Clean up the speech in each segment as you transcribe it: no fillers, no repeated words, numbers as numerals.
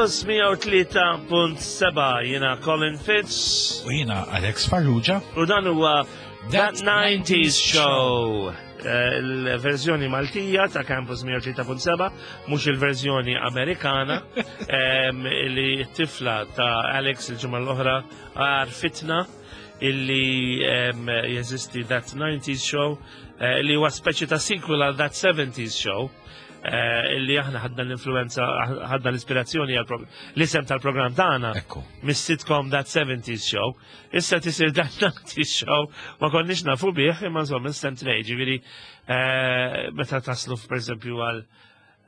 Campus 103.7 jiena Colin Fitz. U jiena Alex Farrugia. U dan huwa That 90s Show. Eh, il-verżjoni Maltija ta' Campus 103.7, mhux il-verżjoni Amerikana, li t-tifla ta' Alex il-ġimgħa l-oħra għarfitna illi jeżisti That 90s Show, eh, li huwa speċi ta' sequel għal That 70s Show. Eh, illi aħna ħadna l-influenza, ħadna l-ispirazzjoni għal l-isem tal-programm tagħna mis-sitcom That 70s Show. Issa tisir That 90s Show ma konniex nafu bih imma insomma isem tnej, ġifieri eh, meta taslu pereżempju għal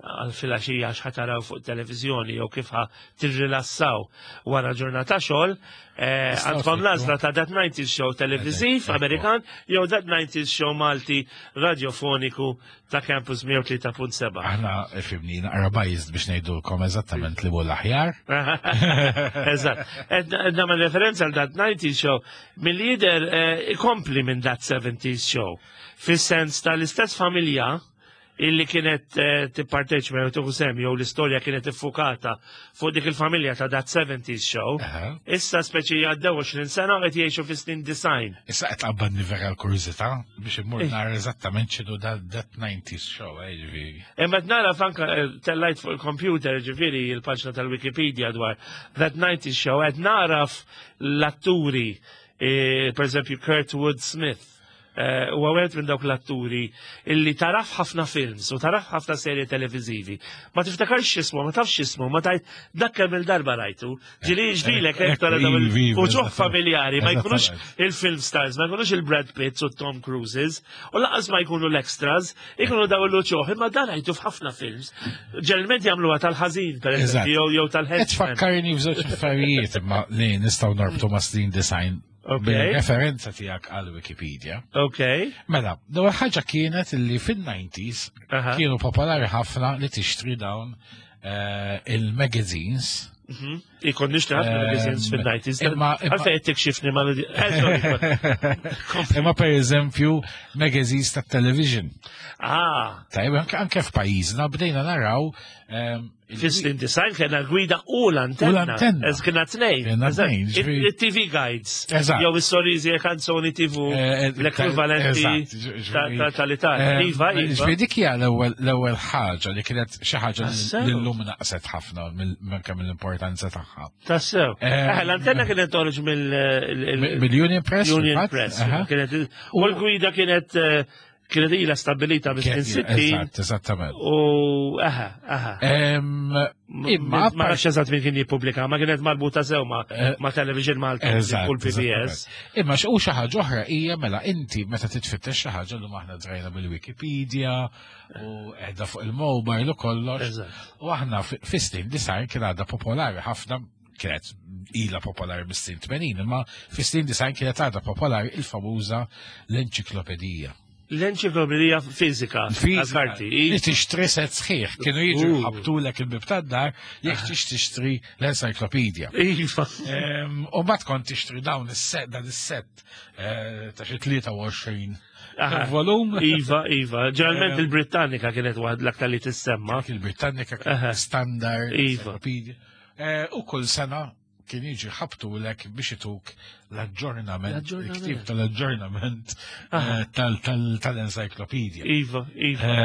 għal filgħaxija x'ħataraw fuq televizjoni jew kif ħa tirrilassaw wara ġurnata xogħol, eh, għandkom l-għażla ta' That 90s Show televiżiv Amerikan jew That 90s Show Malti radiofoniku ta' Campus 103.7. Aħna fimni naqra biased biex ngħidulkom eżattament li hu l-aħjar. Eżatt. Nagħmel referenza għal That 90s Show mill-lider eh, ikompli minn That 70s Show. Fis-sens tal-istess familja illi kienet eh, tipparteċipa jew tieħu sehem jew l-istorja kienet iffukata fuq dik il-familja ta' That 70s Show. Issa speċi għaddew 20 sena u qed jgħixu fi snin design. Issa qed tqabbadni vera l-kurżità biex immur eh. nara eżattament x'inhu That 90s Show, eh, ġifieri. Imma qed nara fanka tellajt fuq il-computer ġifieri il-paġna tal-Wikipedia dwar That 90s Show qed naraf l-atturi, per eżempju Kurtwood Smith Eh, huwa wieħed minn dawk l-atturi illi taraf ħafna films u taraf ħafna serje televiżivi. Ma tiftakarx x'ismu, ma tafx x'ismu, ma tajt dak kemm il-darba rajtu. Ġili ġrilek hekk tara dawn il-uċuħ familjari, ma jkunux il-film stars, ma jkunux il-Brad Pitts u Tom Cruises, u laqas ma jkunu l-extras, ikunu daw l-uċuħ, imma dan rajtu f'ħafna films. Ġeneralment jagħmluha tal-ħażin, per eżempju, jew tal-ħeġ. Tfakkarni f'żewġ affarijiet imma li nistgħu norbtu ma' snin design Bil-referenza tiegħek għal Wikipedia. Ok. Mela, l-ewwel ħaġa kienet li fin-90s kienu popolari ħafna li tixtri dawn eh, il-magazines. Mhm. Ikon nixtri ħafna ehm, magazines fin-90s. Għalfejn qed tikxifni ma' eh, Imma per eżempju magazines ta' television. Ah. Tajb, anke f'pajjiżna bdejna naraw ehm, Fis-snin design kena l-gwida u l-antenna. U l-antenna. Ez kena tnejn. Kena tnejn. Il-TV guides. Eżatt. Jew is-sorriżi e kanzoni TV eh, eh, l-ekwivalenti tal-Italja. Eh, iva, iva. Ġifieri dik hija l-ewwel ħaġa li kienet xi ħaġa li llum naqset ħafna anke mill-importanza tagħha. Tassew. L-antenna kienet toħroġ mill-Union Press. Union Press. U l-gwida kienet Kienet ilha stabilita bis-snin 60. Eżatt, eżattament. U aha, aha. Imma ma nafx eżatt min kien jippubblika, ma kienet marbuta sew ma eh, ma Television Malta u l-PBS. Imma u xi ħaġa oħra hija mela inti meta titfittex xi ħaġa li aħna drajna bil-Wikipedia u qiegħda fuq il-mobile u kollox. U aħna fis-snin design kien għadha popolari ħafna kienet ila popolari mis-snin 80, imma fis-snin 90 kienet għadha popolari il-famuża l-enċiklopedija. L-enċiklopedija fizika, għal-karti. Li tixtri set sħiħ, kienu jiġu ħabtulek il-bib tad-dar jekk tix tixtri l-encyclopedia. Iva. U mbagħad kont tixtri dawn is-set, dan is-set eh, ta' xi 23 volum. Iva, iva. Ġeneralment il-Britannika kienet waħd l-aktar li tissemma. Il-Britannika kienet standard. Iva. Eh, u kull sena kien jiġi ħabtulek biex ituk l-aġġornament, il-ktib tal-aġġornament eh, tal-encyclopedia. Iva, iva.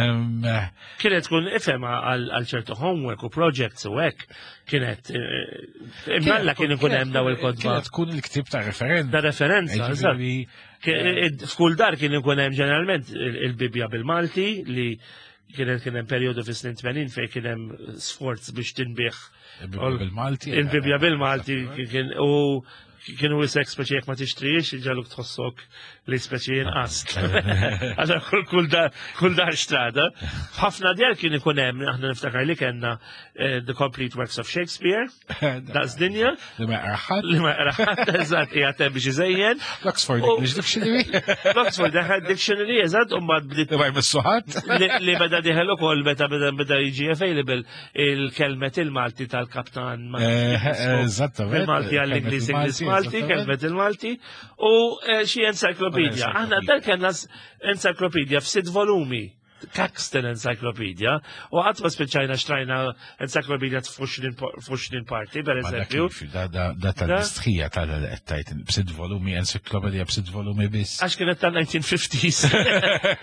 Eh, kienet tkun ifhem għal ċertu homework u projects u hekk, kienet imnalla kien ikun hemm daw il-kodba. Kienet tkun il-ktib ta' referenza. Ta' referenza, F'kull dar kien ikun hemm ġeneralment il-Bibja bil-Malti li Kienet kien hemm perjodu fis-snin 80 fejn kien hemm sforz biex tinbih. Il-Bibja bil-Malti. Il-Bibja bil-Malti kien u kienu isek speċi jekk ma tixtrix, ġaluk tħossok li speċi jinqast. Għaxa kull dar xtrada. Ħafna djar kien ikun hemm, aħna niftakar li kellna eh, The Complete Works of Shakespeare, Daqs dinja. Li ma jaqraħat. Li ma jaqraħat, eżatt, qiegħed hemm biex iżejjen. L-Oxford English Dictionary. L-Oxford Dictionary, eżatt, u mbagħad bdiet. Li ma jmissuħat. Li beda diħel ukoll meta beda beda jiġi available il-kelmet il-Malti tal-kaptan. Eh, eżatt, Il-Malti għall-Ingliż, Ingliż Malti, kelmet il-Malti u eh, xi encyclopedia. Aħna dal kellna encyclopedia f'sitt volumi. Caxton Encyclopedia u qatt ma spiċċajna xtrajna encyclopedia f'xnin parti, per eżempju. Da tal-istħija tal-qed b'sitt volumi, encyclopedia b'sitt volumi biss. Għax kienet tal-1950s.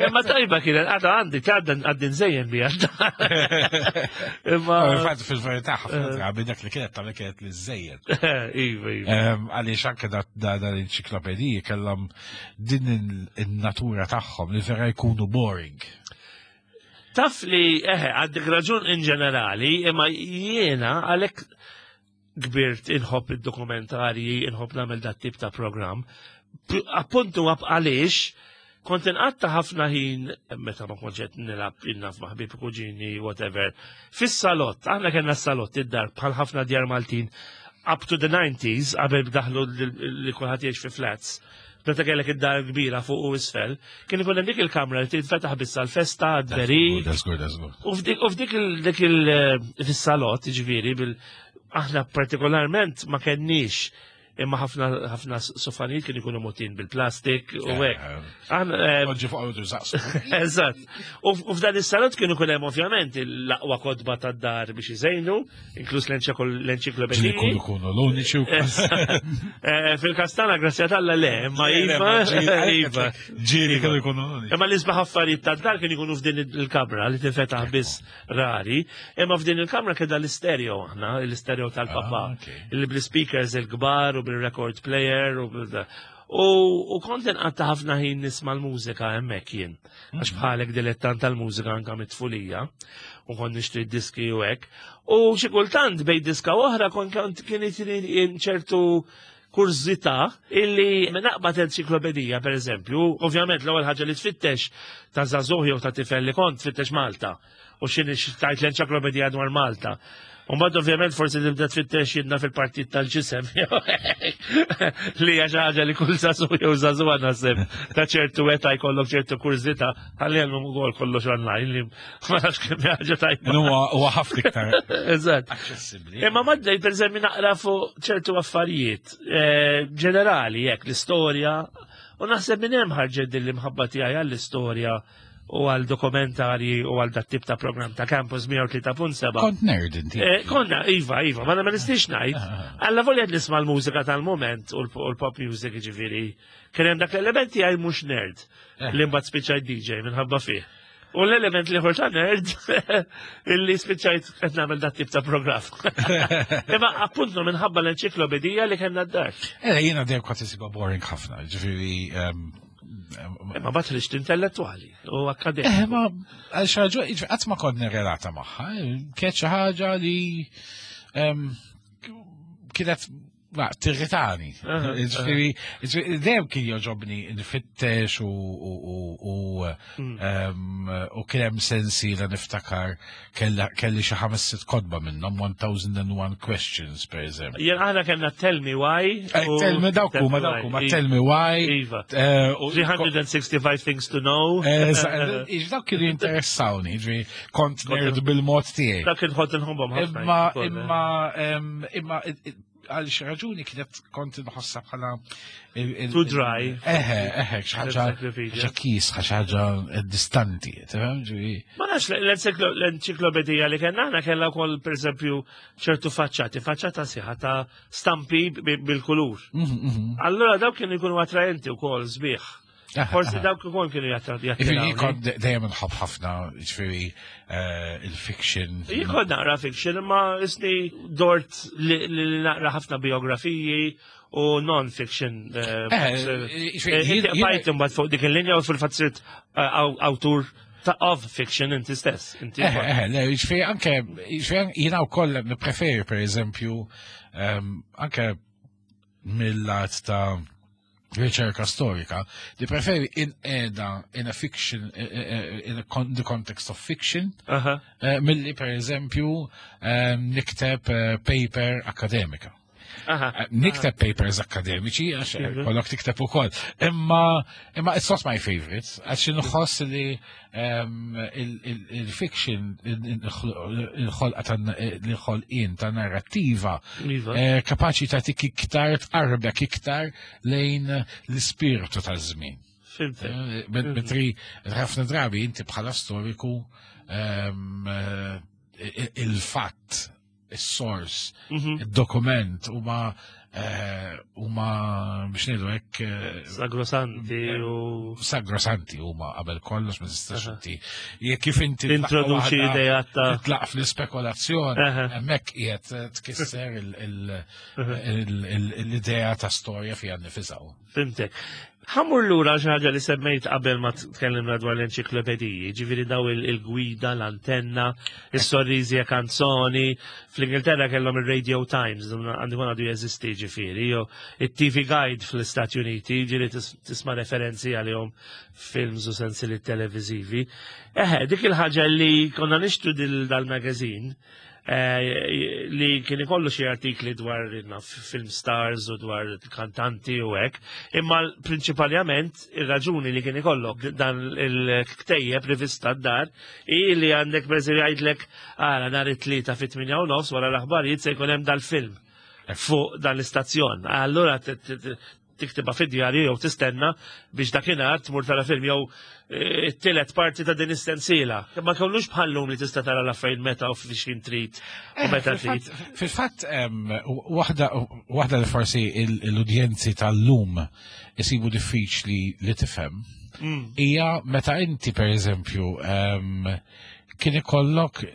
Imma tajba kienet, għadha għandi, għadha għaddi nżejjen bija. Imma. Fatt fil-verità ħafna eh. drabi dak li kienet tal kienet li żejjed. Iva, iva. Għaliex anke da l-enċiklopediji kellhom din in-natura tagħhom li vera jkunu boring. Taf li, eħe, għandek raġun in ġenerali, imma jiena għalhekk kbirt inħobb id-dokumentarji, inħobb nagħmel dat tip ta' programm. Appuntu għaliex kont inqatta ħafna ħin meta ma kontx qed nilgħab innaf ma' ħbieb kuġini whatever. Fis-salott, aħna kellna s-salott id-dar bħal ħafna djar Maltin up to the 90s qabel bdaħlu li kulħadd jgħix fi flats. Meta kellek id-dar kbira fuq u isfel, kien ikun hemm dik il-kamra li tinfetaħ biss għall-festa, għad-berik. U f'dik il eh, fis-salott, ġifieri, bil aħna partikolarment ma kenniex imma ħafna ħafna sofanijiet kienu jkunu mutin bil-plastik u hekk. Eh, Oġġi fuq għawdu zaqsu. Eżatt. U f'dan is-salott kienu jkun hemm ovvjament l-aqwa kotba tad-dar biex iżejnu, inkluż l-enċiklopediji. Kunu kunu l-uniċi u eh, Fil-kastana, grazzja tal le, ma iva. Iva. Ġiri kienu jkunu l-uniċi. Imma l-isbaħ affarijiet tad-dar kienu jkunu f'din il-kamra li tinfetaħ biss rari, imma f'din il-kamra keda l-istereo aħna, l-istereo tal-papa, ah, li bl-speakers il-kbar u bil-record player u bil U kont inqatta ħafna ħin nisma' l-mużika hemmhekk jien. Għax mhm. bħalek dilettant tal-mużika anka mit-tfulija u kont nixtri diski u hekk. U xi kultant bejn diska oħra kont kien ċertu kurżità illi naqbad enċiklopedija per eżempju, ovvjament l-ewwel ħaġa li tfittex ta' żagħżugħ jew ta' tifel li kont tfittex Malta u x'inhi tajt l-enċiklopedija dwar Malta. Umbagħad ovvjament forsi tibda tfittex jidna fil-partit tal-ġisem li hija xi ħaġa li kull żagħżugħ jew żagħżugħa naħseb ta' ċertu età jkollok ċertu kurżità ħalli hemm ukoll kollox online li ma nafx kemm ħaġa tajba. Huwa ħafna iktar. Eżatt. Aċċessibbli. Imma maddej pereżempju naqra fuq ċertu affarijiet eh, ġenerali jekk l-istorja u naħseb minn hemm ħarġet din l-imħabba tiegħi għall-istorja u għal dokumentarji u għal dat tip ta' program ta' Campus 103.7. Kont nerd inti. Eh, konna, iva, iva, ma ma nistix ngħid. Ah, ah, ah. Alla volja nisma' l-mużika tal-moment u l-pop music ġifieri. Kien hemm dak l-elementi għaj mhux nerd eh. li mbagħad spiċċajt DJ minħabba fih. U l-element li ta' nerd illi spiċċajt qed nagħmel dat tip ta' programm. Imma appuntu minħabba l-enċiklopedija li kellna d-dar. Eh, jiena dejjem kont isibha boring ħafna, ġifieri ehm, Ma bat li intellettuali u akademiku. Eh, ma għal xaġu, qatt ma kont nirrelata magħha, kienet xi ħaġa li ehm, kienet ma, tirritani. Ġifieri, dejjem kien joġobni nfittex u mm. ehm, u kien hemm sensi li niftakar kelli xi ħames sitt kotba minnhom 1001 questions per eżempju. Jien aħna kellna Tell Me Why. Eh, tell me dawk huma dawk huma Tell Me Why. Iva. 365 eh, things to know. Eh, dawk kienu jinteressawni, ġifieri kont nerd bil-mod tiegħi. Dak kien ħodd inħobbhom ħafna. Imma imma imma għal xi raġuni kienet kont inħossha bħala too dry. Eħe, eħe, xi ħaġa kisħa, xi ħaġa distanti, tifhem ġifi. Ma nafx l-enċiklopedija li kellna aħna kellha wkoll pereżempju ċertu faċċati, faċċata sieħa ta' stampi bil-kulur. Mhm, mhm. Allura dawk kienu jkunu attraenti wkoll sbieħ. Forsi dawk ukoll kienu jattiraw. Jiġifieri kont dejjem nħobb ħafna, jiġifieri eh, il-fiction. Jien kont naqra fiction, imma isni dort li naqra ħafna biografiji u non-fiction. Eh, eh, bajt imbagħad fuq dik il-linja u fil-fatt sirt awtur ta' of fiction inti stess. Inti eh, le, jiġifieri anke, jiġifieri jiena wkoll nippreferi pereżempju ehm, anke mill-lat ta' riċerka storika, li preferi in eda in a fiction, eh, eh, eh, in a con the context of fiction, uh -huh. milli per eżempju nikteb paper akademika. Nikteb papers akademiċi, għax mhm. kollok tikteb ukoll. Imma imma it's not my favorite, għax inħoss li il-fiction, il-ħolqa il-ħolqien ta' narrattiva, iva. eh, kapaċi ta' tik iktar tqarbek iktar lejn l-ispirtu ta' żmien. Fimtek. Mentri ħafna drabi inti bħala storiku il-fatt, is-sors, il-dokument huma huma biex ngħidu hekk sagrosanti u sagrosanti huma qabel kollox ma tistax inti jekk kif inti introduċi idea ta' titlaq fl-ispekulazzjoni hemmhekk qiegħed tkisser l-idea ta' storja fiha nnifisha. Fimtek. Ħa mmur lura xi ħaġa li semmejt qabel ma tkellimna dwar l-enċiklopediji, ġifieri daw il-gwida, l-antenna, is-sorriżi e canzoni. Fl-Ingilterra kellhom il-Radio Times, għandu għadu jeżisti ġifieri, jew it-TV Guide fl-Istati Uniti, ġieli tisma' referenzi għalihom films u sensili televizivi. Eħe, dik il-ħaġa li konna nixtru dal-magazine, li kien ikollu xi artikli dwar film stars u dwar kantanti u hekk, imma prinċipalment ir-raġuni li kien ikollok dan il-ktejjeb rivista d-dar i li għandek per jgħidlek għara nhar it-Tlieta fit-8:30 wara l-aħbarijiet se jkun hemm dal-film fuq dan l-istazzjon. Allura tiktibha fid-djarju jew tistenna biex dakinhar tmur tara film jew it-tielet parti ta' din is-sensiela. Ma kellux bħallum li tista' tara l-affarijiet meta u fiex trid u meta trid. Fil-fatt waħda li forsi l-udjenzi tal-lum isibu diffiċli li tifhem hija meta inti pereżempju kien ikollok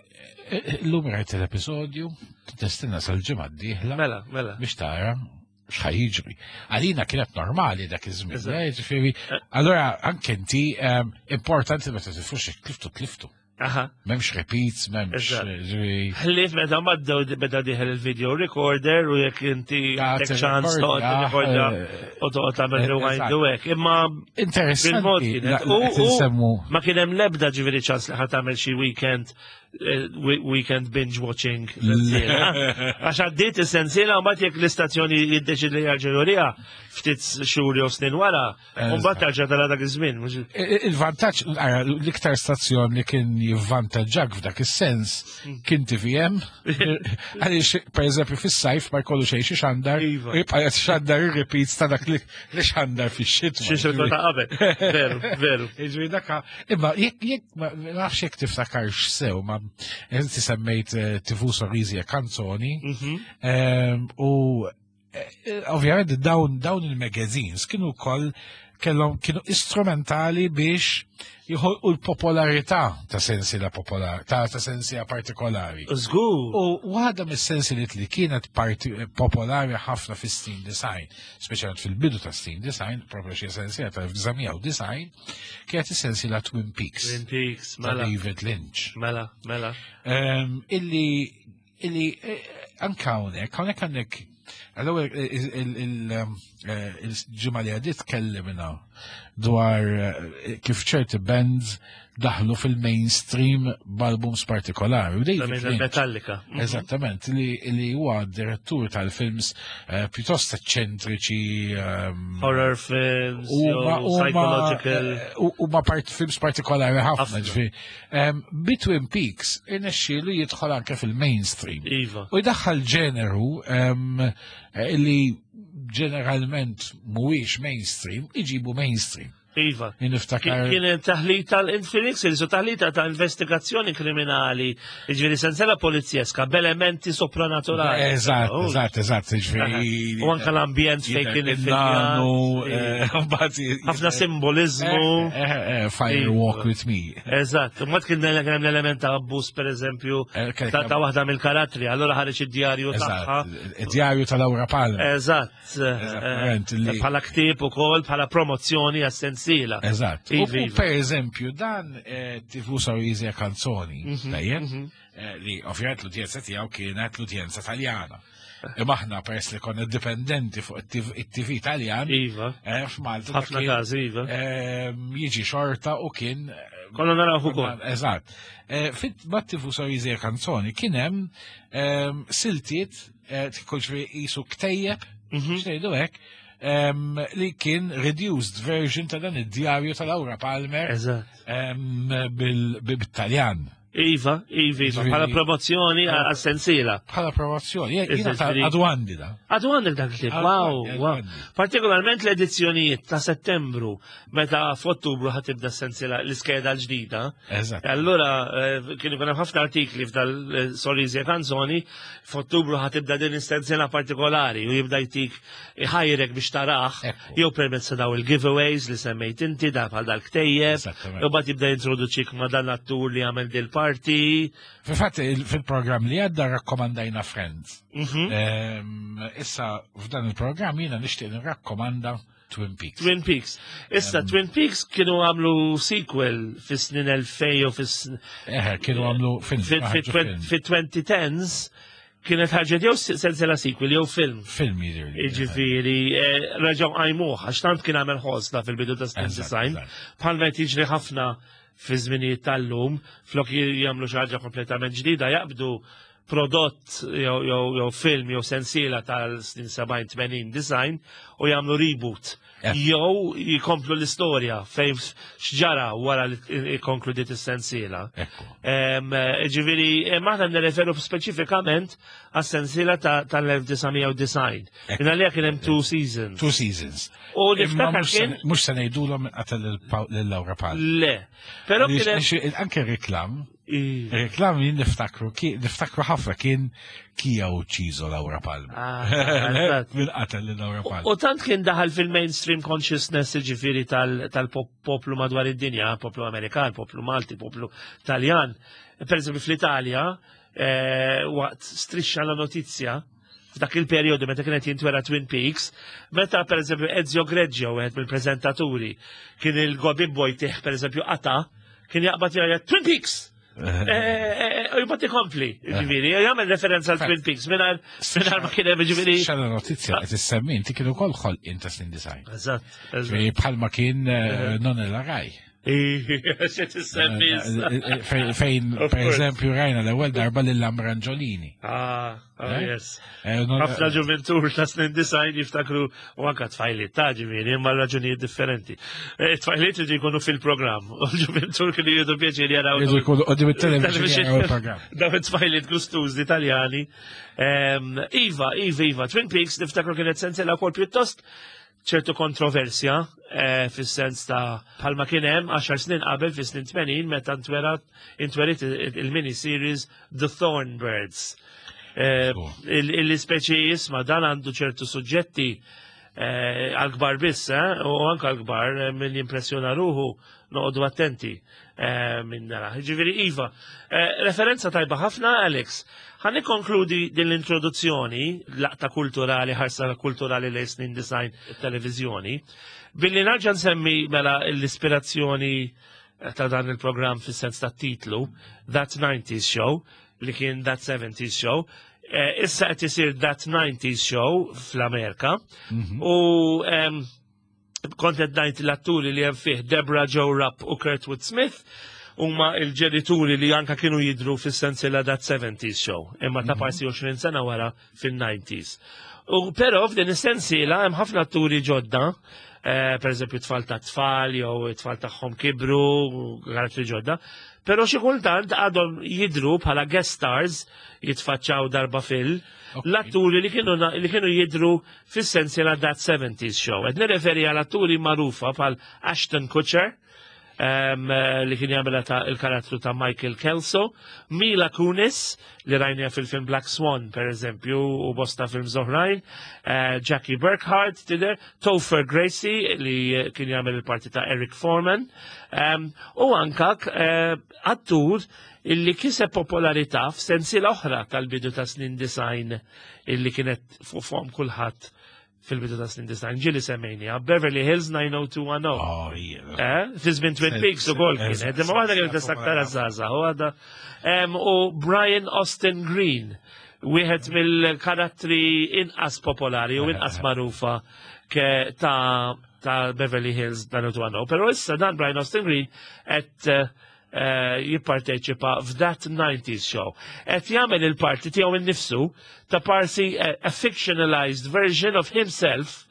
l-lum rajt l-episodju, tistenna sal-ġimgħa d-dieħla Mela, mela. biex tara x'ħa jiġri. Għalina kienet normali dak iż-żmien, ġifieri, allora anke inti importanti meta tifux tliftu tliftu. M'hemmx repeats, m'hemmx ġifieri. Ħlief meta maddew beda dieħel il-video recorder u jekk inti għandek ċans toqgħod tirrekordja u toqgħod tagħmel rewind u hekk. Imma Interessanti. kienet. U ma kien hemm l-ebda ġifieri ċans li ħa tagħmel xi weekend binge watching sensiela. Għax għaddiet is-sensiela u mbagħad jekk l-istazzjoni jiddeċid li jarġa' juriha ftit xhur jew snin wara, u mbagħad tarġa' tara dak iż-żmien. Il-vantaġġ, l-iktar stazzjon li kien jivvantaġġak f'dak is-sens kien TVM, għaliex per eżempju fis-sajf ma jkollu xejn xi xandar, jibqa' xandar ir-repeats ta' dak li xandar fix-xitwa. Xi xitwa ta' qabel. Veru, veru. Jiġifieri dak imma jekk ma nafx jekk tiftakarx sew, ma inti semmejt TV Sorrisi e Canzoni, u ovvjament dawn il-magazines kienu wkoll kellhom kienu istrumentali biex jħolqu l-popolarità ta' sensiela popolar, ta' sensiela partikolari. Żgur. U waħda mis-sensiliet li kienet popolari ħafna fis-snin 90, speċjalment fil-bidu ta' snin 90, proprio xi sensiela ta' 1990, kienet is-sensiela Twin Peaks. Twin Peaks, ta' mela. David Lynch. Mela, mela. Illi anka hawnhekk għandek għall-ewwel il-ġimgħa li għaddiet tkellimna dwar kif ċerti bands daħlu fil-mainstream b'albums partikolari. U David Esattament, Lynch, Metallica. Esattament, li huwa direttur tal-films pjuttost eċċentriċi, horror films, jew psychological. Huma films partikolari ħafna, Ħafna. ġifieri. Bi Twin Peaks irnexxielu jidħol anke fil-mainstream. U jdaħħal ġeneru li ġeneralment mhuwiex mainstream, iġibu mainstream. Jien niftakar Kien taħlita l-Infinix, il taħlita ta' investigazzjoni kriminali, ġifieri sensela polizjeska, b'elementi sopranaturali. Eżatt, eżatt, eżatt, ġifieri. U anka l-ambjent fejn kien il-nanu, il-filmjat. mbagħad Ħafna simbolizmu. Fire Walk with Me. Eżatt, u mbagħad kien hemm l-element ta' abbuż per eżempju ta' waħda mill-karattri, allora ħareġ id-djarju tagħha. Id-djarju ta' Laura Palmer. Eżatt. Eżattament, Bħala ktieb ukoll, bħala promozzjoni għas-sensiela. Eżatt. Iva, U iva. per eżempju, dan TV Sorrisi e Canzoni, tajjeb, li ovvjament l-udjenza tiegħu kienet l-udjenza Taljana. Imma aħna peress li konna dipendenti fuq it-TV Taljan, f'Malta Ħafna kien, każi, iva. jiġi xorta u kien Konna naraw ukoll. Eżatt. Fit TV Sorrisi e Canzoni kien hemm siltiet tkun qisu ktejjeb, x'ngħidu hekk, li kien reduced version ta' dan id-djarju ta' Laura Palmer bit-Taljan. Iva, iva, iva, bħala promozzjoni għas-sensiela. Bħala promozzjoni, jiena għadu għandi da. Għadu għandek dak il-ktib, wow, wow. Partikolarment l-edizzjonijiet ta' settembru, meta f'Ottubru ħatibda s-sensiela l-iskeda l-ġdida. Eżatt. Allura kienu kien hemm ħafna artikli f'dal Sorrisi e Canzoni, f'Ottubru ħatibda din is-sensiela partikolari u jibda jtik iħajrek biex tarah, jew permezz ta' daw il-giveaways li semmejt inti da bħal dal-ktejjeb, u bad jibda jintroduċik ma' dan l-attur li għamel dil-parti. Fil-fatt, fil-programm li għadda rakkomandajna Friends. Issa, f'dan il-programm jiena nixtieq nirrakkomanda Twin Peaks. Twin Peaks. Issa, Twin Peaks kienu għamlu sequel fis-snin 2000 u fis Eħe, kienu għamlu film. Fit-2010s kienet ħarġet jew sensiela sequel jew film. Film jidher. Jiġifieri, reġgħu qajmuh għax tant kien għamel ħosna fil-bidu ta' snin design. Bħal meta jiġri ħafna fi żminijiet tal-lum, flok jagħmlu xi ħaġa kompletament ġdida jaqbdu prodott jew film jew sensiela tal-snin 70-80 design u jagħmlu reboot. Jew jikomplu l-istorja fejn x'ġara wara li konkludiet is-sensiela. Ġifieri, aħna nirreferu speċifikament għas-sensiela tal-1990. Minna li kien hemm two seasons. Two seasons. U niftakar kien. Mhux se ngħidulhom qatel lil Laura Palmer. Le. Però kien anke reklam. Reklam jien niftakru, niftakru ħafna kien chi ha ucciso Laura Palmer. Ah, Min qatel lil Laura Palmer. U tant kien daħal fil-mainstream consciousness ġifieri tal-poplu madwar id-dinja, poplu Amerikan, poplu Malti, poplu Taljan. Per eżempju fl-Italja, waqt Striscia la Notizia, f'dak il-perjodu meta kienet jintwera Twin Peaks, meta per eżempju Ezio Greggio, wieħed mill-preżentaturi, kien il-Gobibbo jtih per eżempju qata, kien jaqbad jgħid Twin Peaks! U jibgħat ikompli, ġifieri, jagħmel referenza għal Twin Peaks mingħajr ma kien hemm ġifieri. Striscia la Notizia qed issemmi inti kienu wkoll ħolqien ta' snin design. Eżatt. Bħalma kien Non è la Rai. Se tissemmi. Fejn, per eżempju, rajna l-ewwel darba lil Ambra Angiolini. Ah, oh, yes. Ħafna ġuventur ta' snin 90 jiftakru u anka tfajliet ta' ġifieri, imma raġunijiet differenti. Tfajliet li jkunu fil-programm, u l-ġuventur kienu jieħdu pjaċir jaraw. Jieħdu jkunu quddiem it-television jaraw il-programm. Dawn it-tfajliet gustużi Italjani. Iva, Iva, Iva, Twin Peaks niftakru kienet sensiela wkoll pjuttost ċertu kontroversja fis-sens ta' bħalma kien hemm 10 snin qabel fis-snin 80 meta intwerit il-mini series The Thorn Birds. Il-speċi jisma dan għandu ċertu suġġetti għal-kbar biss, u anka għal-kbar min jimpressjona ruħu noqogħdu attenti minn nara. Ġifieri Iva, referenza tajba ħafna Alex. Ħa nikkonkludi din l-introduzzjoni, laqta kulturali, ħarsa kulturali lejn snin design televizjoni, billi nerġa' nsemmi mela l-ispirazzjoni ta' dan il-programm fis-sens ta' titlu, That 90s Show, li kien That 70s Show. Issa qed isir That 90s Show fl-Amerika. U kont qed ngħid l-atturi li hemm fih Debra Jo Rupp u Kurtwood Smith huma il-ġenituri li anka kienu jidru fis-sensiela That 70s Show, imma ta' parsi 20 sena wara fil-90s. U però f'din is-sensiela hemm ħafna atturi ġodda, per eżempju tfal ta' tfal jew tfal tagħhom kibru, karattri ġodda, però xi kultant għadhom jidru bħala guest stars jitfaċċaw darba fil l-atturi li kienu jidru fis-sensiela That 70s Show. Qed nirreferi għal atturi magħrufa bħal Ashton Kutcher, li kien jagħmel ta' il-karattru ta' Michael Kelso, Mila Kunis, li rajnija fil-film Black Swan, per eżempju, u bosta films oħrajn, Jackie Burkhart, tidher, Topher Grace, li kien jagħmel il-parti ta' Eric Foreman, u anka attur illi kiseb popolarità f'sensiela oħra tal-bidu ta' snin design illi kienet fuq fomm kulħadd fil-bidu ta' snin design, ġieli semmejniha, Beverly Hills 90210. Oh, yeah. Fi żmien Twin Peaks ukoll kienet, imma waħda kienet aktar żgħażagħ, u għadha. U Brian Austin Green, wieħed mill-karattri inqas popolari u inqas magħrufa ke ta' Beverly Hills 90210. Però issa dan Brian Austin Green qed jipparteċipa f'That 90s Show. Qed jagħmel il-parti tiegħu innifsu ta' parsi a fictionalized version of himself.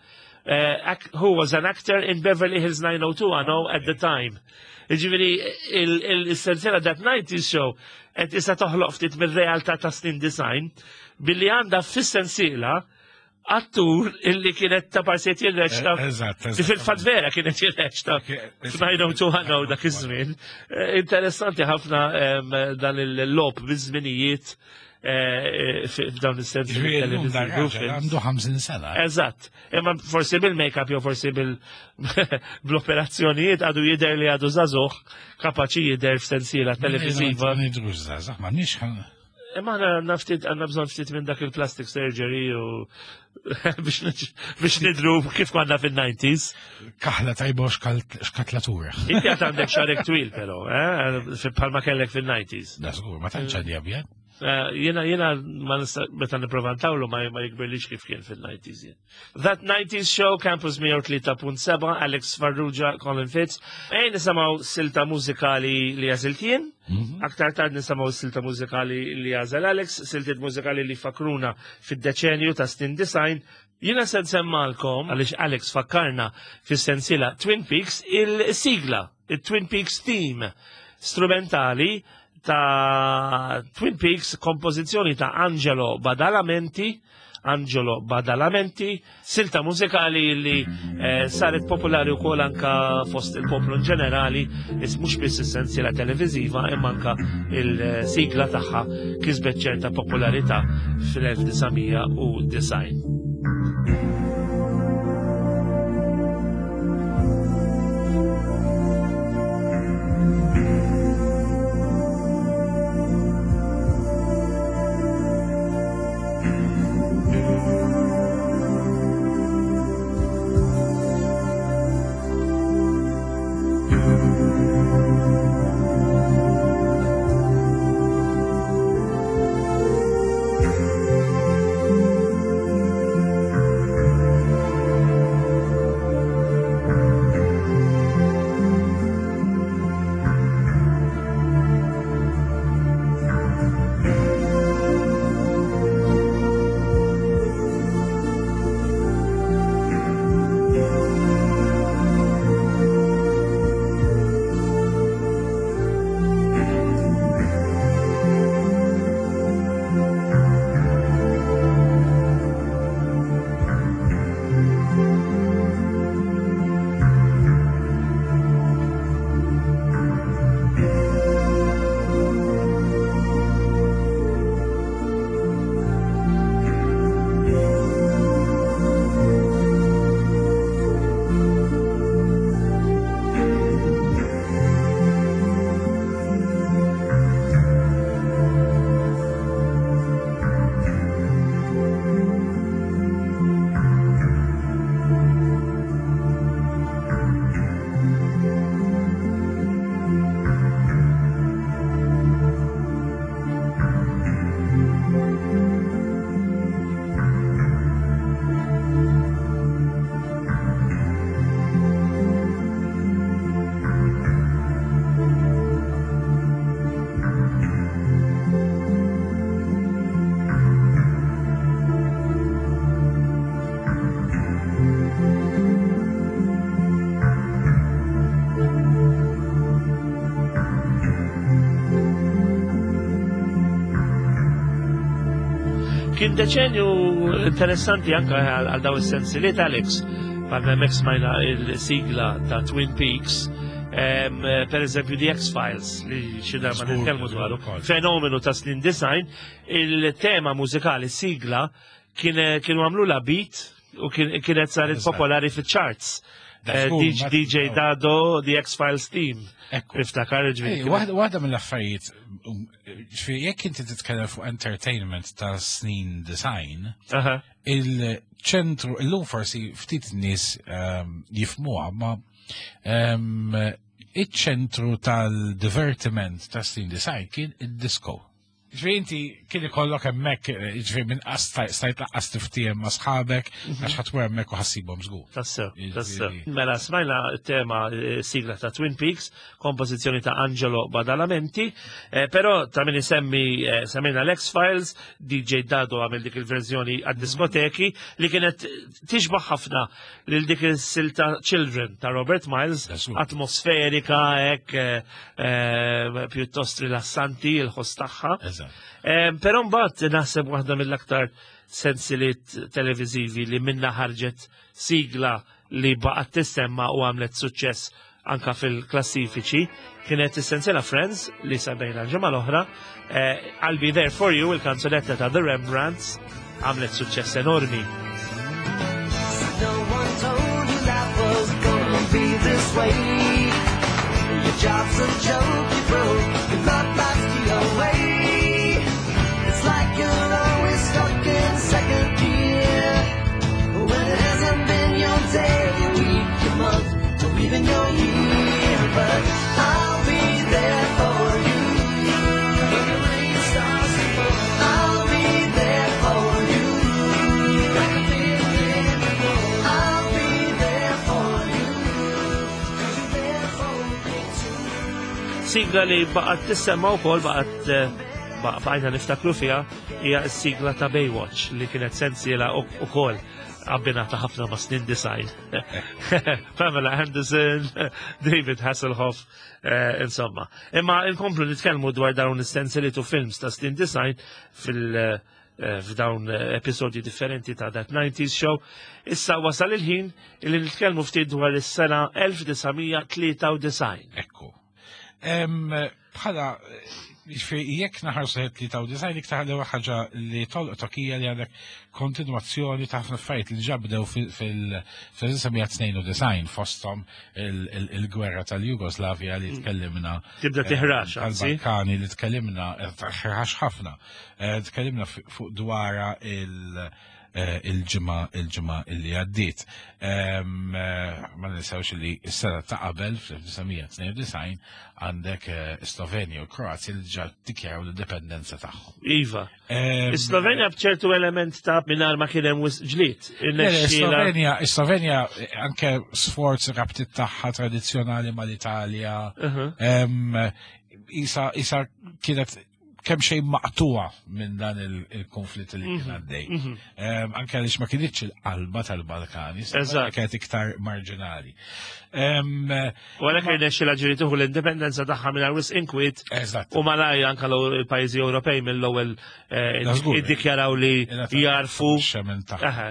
who was an actor in Beverly Hills 90210 at the time. Ġifieri il-sensiela That 90s Show qed issa toħloq ftit mir-realtà ta' snin design billi għandha fis-sensiela attur illi kienet ta' parsiet jirreċta. Eżatt, Li fil-fatt vera kienet jirreċta f'90210 dak iż-żmien. Interessanti ħafna dan il-lob biż-żminijiet f'dawn is-sensi. Ġifieri llum dan raġel għandu 50 sena. Eżatt. Imma forsi bil-make-up jew forsi bil-operazzjonijiet għadu jidher li għadu żagħżugħ kapaċi jidher f'sensiela televiżiva. Ma nidrux żgħażagħ, ma nix Imma aħna għandna ftit għandna bżonn ftit minn dak il-plastic surgery u biex nidru kif konna fin-90s. Kaħla tajba u xkatlatura. Inti għad għandek xarek twil però, eh? Bħalma kellek fin-90s. Da żgur, ma tantx għandi abjad. Jiena jiena ma nista' meta nipprova ntawlu ma jikbirlix kif kien fil-90s jien. That 90s Show, Campus 103.7, Alex Farrugia, Colin Fitz. Ejn nisimgħu silta mużikali li għażilt jien. Aktar tard nisimgħu silta mużikali li għażel Alex, siltiet mużikali li fakruna fid-deċenju ta' snin design. Jiena se nsemmalkom, għaliex Alex fakkarna fis-sensiela Twin Peaks, il-sigla, il-Twin Peaks theme strumentali ta' Twin Peaks, kompożizzjoni ta' Angelo Badalamenti, Angelo Badalamenti, silta mużikali li saret popolari wkoll anka fost il-poplu in ġenerali, mhux biss is-sensiela televiżiva imma anka il-sigla tagħha kisbet ċerta popolarità fil-1990. Kien deċenju interessanti anka għal daw is-sensiliet, Alex, bħalma hemmhekk smajna il-sigla ta' Twin Peaks, per eżempju The X-Files, li xi darba Żgur, nitkellmu dwaru, ukoll. fenomenu ta' snin design, il-tema mużikali sigla kienu għamlu la beat u kienet saret popolari fiċ-charts. Da żgur, DJ Dado, The X-Files team. Ekku. Iftakar, ġifieri Ej, kien- waħda mill-affarijiet, ġifieri jekk inti titkellem fuq entertainment ta' snin design, il-ċentru, illum forsi ftit nies jifmuha, ma iċ-ċentru tal-divertiment ta' snin design kien id-disco. Ġifieri inti kien ikollok hemmhekk, eh, ġifieri minn stajt laqqas tiftiem ma' sħabek għax ħadd hemmhekk u ħassibhom żgur. Tassew, tassew. Mela smajna tema eh, sigla ta' Twin Peaks, kompożizzjoni ta' Angelo Badalamenti, eh, però ta' min isemmi semmejna l-X-Files, DJ Dado għamel dik il-verżjoni għad-diskoteki li kienet tixbaħ ħafna lil dik il-silta Children ta' Robert Miles, atmosferika, hekk eh, eh, pjuttost rilassanti il-ħoss tagħha. Eh, però mbagħad naħseb waħda mill-aktar sensiliet televiżivi li minna ħarġet sigla li baqgħet tissemma u għamlet suċċess anka fil-klassifiċi kienet is-sensiela Friends li semmejna l-ġimgħa l-oħra, eh, I'll Be There For You, il-kanzunetta ta' The Rembrandts, għamlet suċċess enormi. No one told you life was gonna be this way. Your job's a joke, you broke, your love life's the away. It's like you're always stuck in second gear. When it hasn't been your day, your week, your month, or even your year. But I'll be there for you. When the rain starts to fall, I'll be there for you. I'll be there for you. 'Cause you're there for me too. Sigla li baqgħet tissemma wkoll baqgħet eh, baqajna niftakru fiha hija s-sigla ta' Baywatch li kienet sensiela ukoll abbinata ħafna ma' snin design. Pamela Anderson, David Hasselhoff, eh, insomma. Imma inkomplu nitkellmu dwar dawn is-sensiliet u films ta' snin design fil- eh, f'dawn episodji differenti ta' That 90s Show. Issa wasal il-ħin li nitkellmu ftit dwar is-sena 1993. Ekku. Bħala, jiġifieri jekk naħarsu 93 iktar l ħaġa li tolqtok hija li għandek kontinwazzjoni ta' ħafna affarijiet li ġabdew fil-1992 fosthom il-gwerra tal-Jugoslavja li tkellimna. Tibda tiħrax, anzi. Tal-Balkani li tkellimna, ħrax ħafna. Tkellimna fuq dwara il- il-ġimgħa il-ġimgħa illi għaddiet. Ma ninsewx li s-sena ta' qabel fl-1992 għandek Slovenja u Kroazja li ġa dikjaraw l-indipendenza tagħhom. Iva. Slovenja b'ċertu element ta' mingħajr ma kien hemm wisq ġlied. Slovenja, Slovenja anke sforz rabtiet tagħha tradizzjonali mal-Italja. Isa isa kienet kemm xejn maqtuwa minn dan il-konflitt li kien għaddej. Anke għaliex ma kienitx il-qalba tal-Balkani, kienet iktar marġinali. U għalhekk irnexxilha ġieli tieħu l-indipendenza tagħha mingħajr wisq inkwiet. U malaj anke l-pajjiżi Ewropej mill-ewwel iddikjaraw li jarfu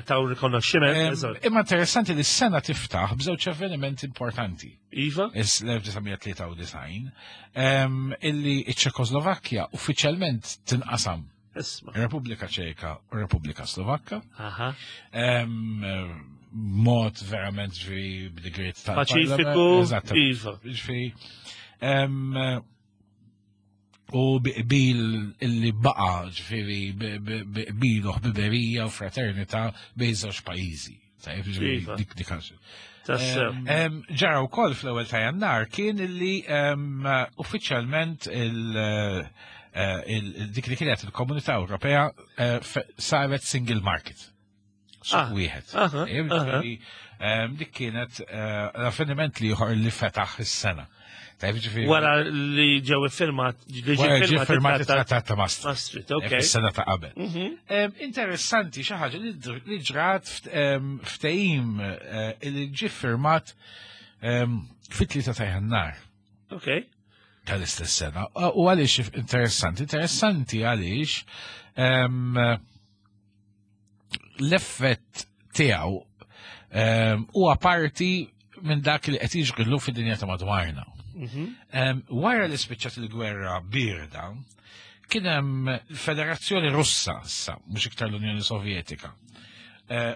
taw rikonoxximent. Imma interessanti li s-sena tiftaħ b'żewġ avvenimenti importanti. Iva? Is-1993, illi iċ-Ċekoslovakkja uffiċjalment tinqasam. Isma. Repubblika Ċeka u Repubblika Slovakka. Mod verament ġifieri b'digriet ta' Paċifiku. Iva. Ġifieri. U bil illi baqa ġifieri bilu ħbiberija u fraternità bejn żewġ pajjiżi. Tajjeb, ġifieri Iva. dik dik Tassew. Ġara wkoll fl-ewwel ta' Jannar kien illi uffiċjalment dik li kienet il-Komunità Ewropea saret single market. Suq wieħed. Ġifieri, dik kienet l-avveniment li ieħor li fetaħ is-sena. Tajjeb, ġifieri Wara li ġew iffirmat, li ġie Wara ġie firmat firmat it-trattat it-trattat ta' Maastricht. Maastricht, ok. Is-sena ta' qabel. Interessanti xi ħaġa li ġrat ftehim li ġie firmat fit-3 ta' Jannar. Tal-istess sena. U għaliex interessanti? Interessanti għaliex l-effett tiegħu huwa parti minn dak li qed jiġri fid-dinja ta' madwarna. Wara li spiċċat il-gwerra birda, kien hemm Federazzjoni Russa issa, mhux iktar l-Unjoni Sovjetika.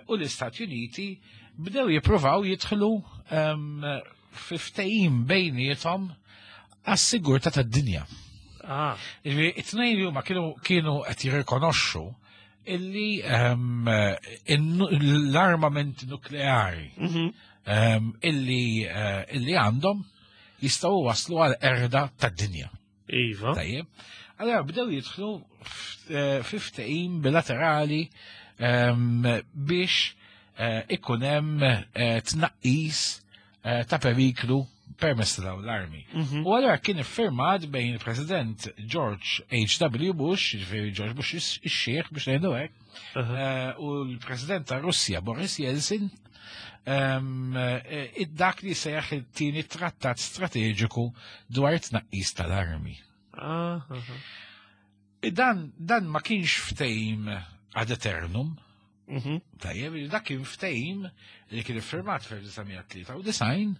U l-Istati Uniti bdew jippruvaw jidħlu fi ftehim bejniethom għas-sigurtà tad-dinja. Jiġifieri, it-tnejn li huma kienu qed jirrikonoxxu illi l-armament nukleari illi għandhom jistgħu waslu għal erda tad-dinja. Tajjeb. Allora bdew jidħlu eh, fi ftehim bilaterali ehm, biex eh, ikun hemm eh, tnaqqis ta' periklu permess ta' dawn l-armi. Mhm. U allura kien iffirmat bejn il-President George H.W. Bush, ġifieri George Bush ix-xieħ biex ngħidu hekk, u l-President ta' Russja Boris Yeltsin ehm, id-dak li sejaħ it-tieni trattat strateġiku dwar it-tnaqqis tal-armi. Ah, dan, dan ma kienx ftehim ad eternum. Mhm. Tajjeb, dak kien ftehim li kien iffirmat fl-1993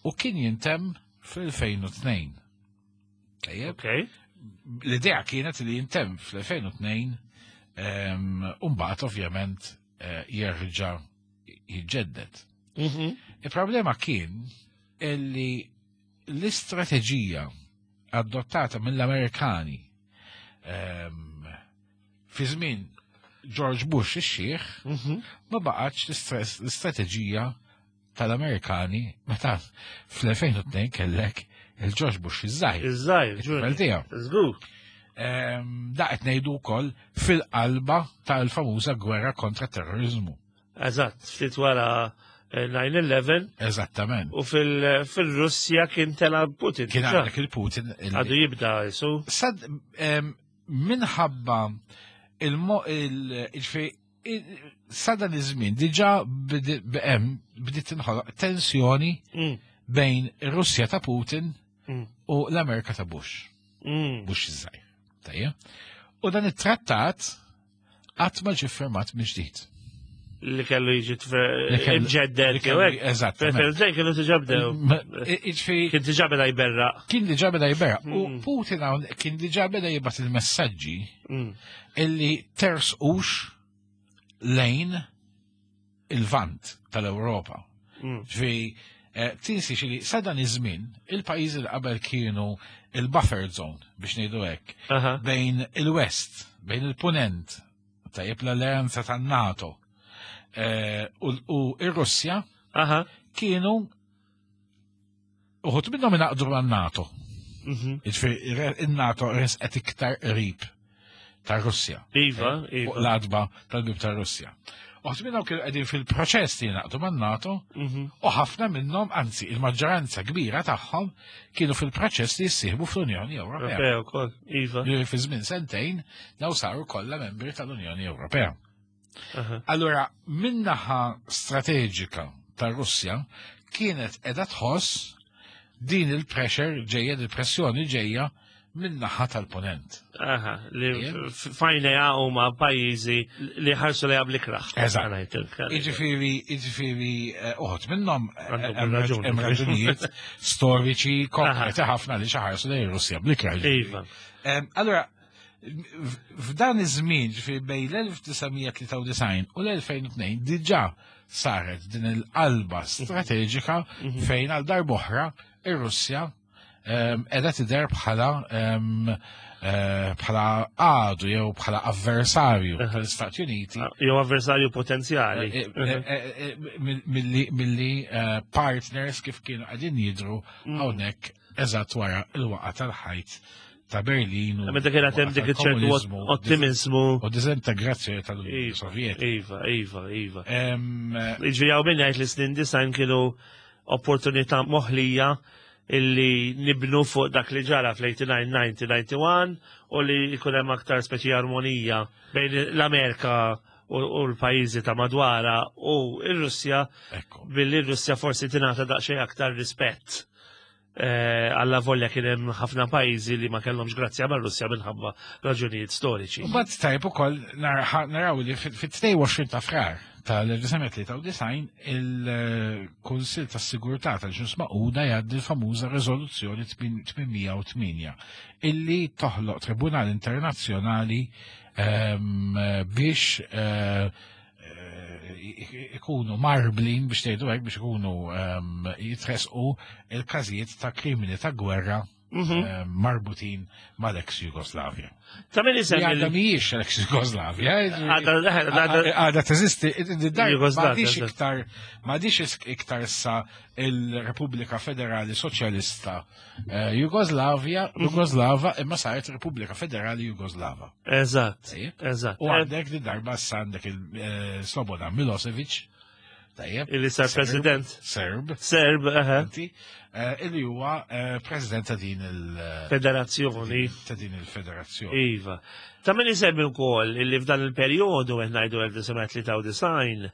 u kien jintemm fl-2002. Tajjeb. L-idea kienet li jintemm fl-2002 u mbagħad ovvjament eh, jerġa' jiġġedded. Mhm. Il-problema kien illi l-istrateġija adottata mill-Amerikani ehm, fi żmien George Bush ix-xieħ mhm. ma baqgħetx l-istrateġija tal-Amerikani meta fl-2002 kellek il-George Bush iż-żgħir. Iż-żgħir, tiegħu. Żgur. Ehm, da qed ngħidu wkoll fil-qalba tal-famuża gwerra kontra terrorizmu. Eżatt, ftit wara 9-11. Eh, Eżattament. U fil-Russja kien tela Putin. Kien għandek il-Putin. Għadu jibda jisu. Sad, minħabba il-ġifi sadan iż-żmien diġà bdiet tinħoloq tensjoni mm. bejn ir-Russja ta' Putin mm. u l-Amerika ta' Bush. Mm. Bush iż-żgħir. Tajja. U dan it-trattat qatt ma ġie firmat mill-ġdid. Li kellu jiġi imġedded jew hekk. Eżatt. Preferenza kienu diġà bdew. Kien diġà beda jberraq. Kien diġà beda jberraq. U mm. Putin hawn kien diġà beda jibgħat il-messaġġi mm. illi tersqux lejn il-vant tal-Ewropa. Mm. Ġvi, eh, tinsi xili, sa dan iż-żmien, il-pajjiżi li qabel kienu il-buffer zone, biex ngħidu hekk, bejn il-West, bejn il-Punent, tajjeb l-alleanza tan-NATO, eh, u ir-Russja, kienu uħut minnhom ingħaqdu man-NATO. Mhm. Jiġifieri in-NATO resqet iktar qrib ta' Russja. Iva, eh, iva. L-adba tal-bib ta' Russja. Uħut minnhom kienu qegħdin fil-proċess li jingħaqdu man-NATO mhm. u ħafna minnhom, anzi il-maġġoranza kbira tagħhom kienu fil-proċess li jissieħbu fl-Unjoni Ewropea. Ewropea wkoll, iva. Li fi żmien sentejn daw saru kollha membri tal-Unjoni Ewropea. Allura, minnaħa strateġika ta' Russja kienet edha tħoss din il-pressure ġejja, il-pressjoni ġejja minnaħa tal-ponent. Aha, li fajnea huma pajjiżi li ħarsu li għabli kraħ. Eżatt. Iġifieri, iġifieri, eh, uħod minnhom eh, hemm raġunijiet storiċi konkreti ħafna li xaħarsu li Russja bl-ikraħ. Iva. Allora, F'dan iż-żmien, ġifieri bejn l-1993 u l-2002 diġà saret din il-qalba strateġika mhm. fejn għal darb'oħra ir-Russja ehm, qiegħda tidher bħala ehm, eh, bħala għadu jew bħala avversarju tal-Istati Uniti. Ah, jew avversarju potenzjali. Eh, eh, milli partners kif kienu qegħdin jidru mm. hawnhekk eżatt wara il-waqa tal-ħajt ta' Berlin. Meta kienet hemm dik ċertu ottimizmu. U dizintegrazzjoni tal-Unjoni iva, Sovjetika. Iva, iva, iva. Iġri hawn min jgħid li snin design kienu opportunità moħlija illi nibnu fuq dak li ġara fl-89, 90, 91 u li jkun hemm aktar speċi armonija bejn l-Amerika u l-pajjiżi ta' madwara u r-Russja billi r-Russja forsi tingħata daqsxejn aktar rispett. Eh, alla volja kien hemm ħafna pajjiżi li ma kellhomx grazzja mar-Russja minħabba raġunijiet storiċi. Mbagħad tajb ukoll naraw li fit-22 ta' frar tal-1993 il-Kunsill tas-Sigurtà tal-Ġnus Magħquda jgħaddi l-famuża Riżoluzzjoni 808 illi toħloq Tribunal Internazzjonali ehm, biex eh, ikunu marblin biex tgħidu hekk biex ikunu ehm, jitresqu il-każijiet ta' krimini ta' gwerra. Marbutin mal-ex Jugoslavja. Ta' min isemmi. Għadha mhijiex l-ex Jugoslavja. Għadha teżisti. M'għadix iktar m'għadix iktar issa il-Repubblika Federali Soċjalista Jugoslavja, Jugoslava imma saret Repubblika Federali Jugoslava. Eżatt. Eżatt. U għandek di darba issa għandek il-Slobodan Milosevic. Tajjeb. Illi sar president. Serb. Serb, aha. Illi huwa president ta' din il-federazzjoni. Ta' din il-federazzjoni. Iva. Ta' min isemmi wkoll illi f'dan il-perjodu qed ngħidu 1993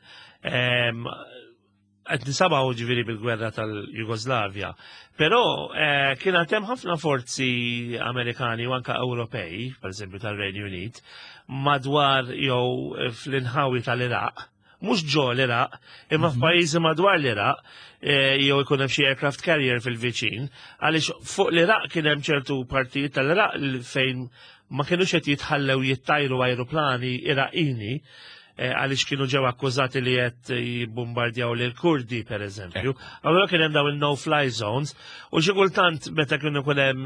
qed nisabaw ġifieri bil-gwerra tal-Jugoslavja. Però kien hemm ħafna forzi Amerikani u anka Ewropej, pereżempju tal-Renju Unit, madwar jew fl-inħawi tal-Iraq, mhux ġo l-Iraq, imma f'pajjiżi madwar l-Iraq, jew ikun hemm xi aircraft carrier fil-viċin, għaliex fuq l-Iraq kien hemm ċertu partijiet tal-Iraq fejn ma kinux qed jitħallew jittajru ajruplani Iraqini, għaliex kienu ġew akkużati li qed jibbombardjaw lil Kurdi pereżempju. Allura kien hemm dawn il-no-fly zones u xi kultant meta kienu jkun hemm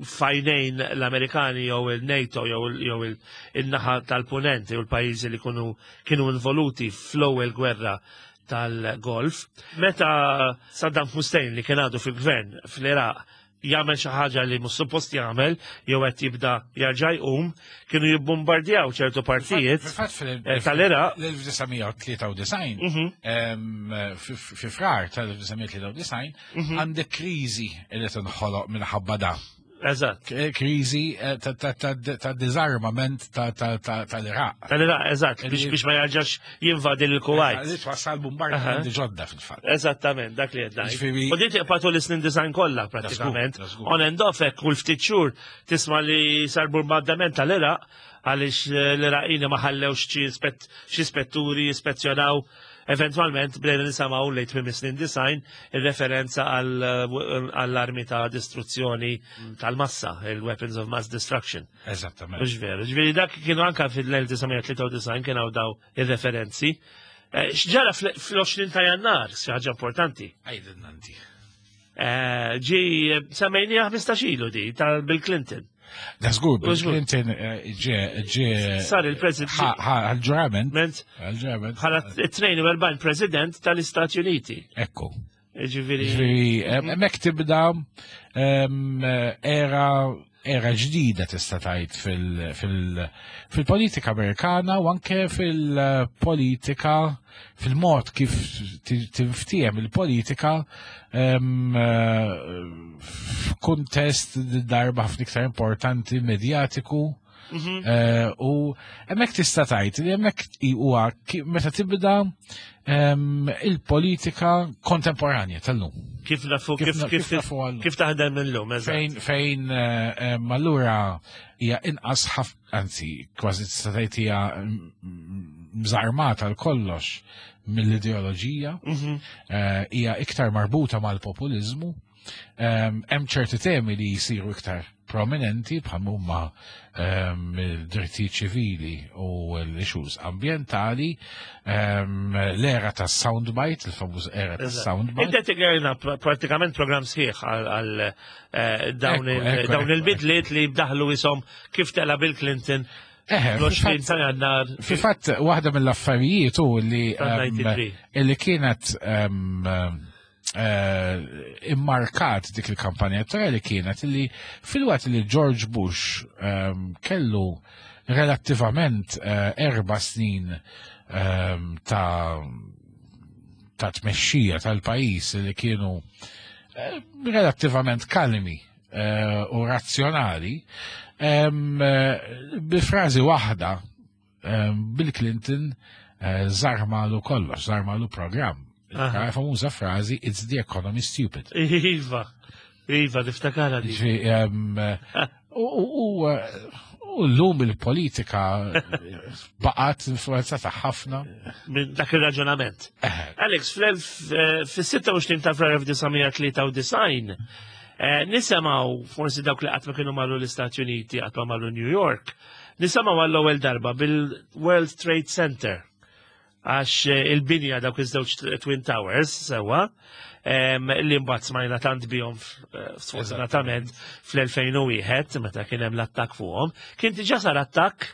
fajnejn l-Amerikani jew il-NATO jew il-naħa tal-punenti u l-pajjiżi li kienu involuti fl-ewwel gwerra tal-Golf. Meta Saddam Hussein li kien għadu fil-gvern fl-Iraq jagħmel xi ħaġa li mhux suppost jagħmel jew qed jibda jarġa' jqum, kienu jibbombardjaw ċertu partijiet tal-Iraq. L-1993, fi frar tal-1993, għandek kriżi li tinħoloq minħabba da. Eżatt. Kriżi ta' disarmament tal-Iraq. Tal-Iraq, eżatt, biex ma jarġax jinvadi l-Kuwait. Li twassal bombardamenti ġodda fil-fatt. Eżattament, dak li qed ngħid. U din tiqpa' tul is-snin design kollha prattikament. On and off hekk kull ftit xhur tisma' li sar bombardament tal-Iraq għaliex l-Iraqini ma ħallewx xi spetturi jispezzjonaw. Eventualment bdejna nisimgħu lejn tmiem is-snin design ir-referenza għall-armi ta' distruzzjoni tal-massa, il-weapons of mass destruction. Eżattament. Mhux veru. Ġifieri dak kienu anka fil-1993 kienu daw ir-referenzi. X'ġara fl-20 ta' Jannar, xi ħaġa importanti. Għidilna inti. Ġi semmejniha 15 ilu di tal Bill Clinton. Da żgur, Bill Clinton ġie sar il-president. Għal-ġurament. Għal-ġurament. Bħala 42 president tal-Istati Uniti. Ekku. Ġifieri. Ġifieri, hemmhekk tibda era ġdida tista' tgħid fil-politika Amerikana u anke fil-politika, fil-mod kif tinftiehem il-politika f'kuntest darba ħafna iktar importanti medjatiku. U hemmhekk tista' tgħid li hemmhekk huwa meta tibda il-politika kontemporanja tal-lum. Kif nafu, Kif nafu għallum. kif taħdem illum, eżatt. Fejn allura hija inqas ħaf, anzi, kważi tista' tgħid hija mżarmata l kollox mill-ideoloġija, hija iktar marbuta mal-populizmu. Hemm ċerti temi li jsiru iktar prominenti bħal huma drittijiet ċivili u l-issues ambjentali, l-era ta' soundbite, il-famuż era ta' soundbite. Inti tigrajna pratikament program sħiħ għal dawn il-bidliet li bdaħlu isom kif tela Bill Clinton. L-20 ta' Jannar. Fil-fatt, waħda mill-affarijiet hu Ta' 93. li kienet immarkat dik il-kampanja elettorali kienet li fil-waqt li George Bush kellu relattivament 4 snin ta' tmexxija tal-pajjiż li kienu relattivament kalmi u razzjonali, bi frażi waħda Bill Clinton żarmalu kollox, żarmalu programm. Famuża frażi, It's the economy stupid. Iva, iva, niftakarha di. U l-lum il-politika baqgħet influenzata ħafna. Minn dak ir-raġunament. Alex, fis-26 ta' frar 1993, nisimgħu forsi dawk li qatt ma kienu marru l-Istati Uniti, qatt ma marru New York, nisimgħu għall-ewwel darba bil-World Trade Center. Għax il-binja dawk iż-żewġ Twin Towers sewwa li mbagħad smajna tant bihom sfortunatament fl-2001 meta kien hemm l-attakk fuqhom, kien diġà sar attakk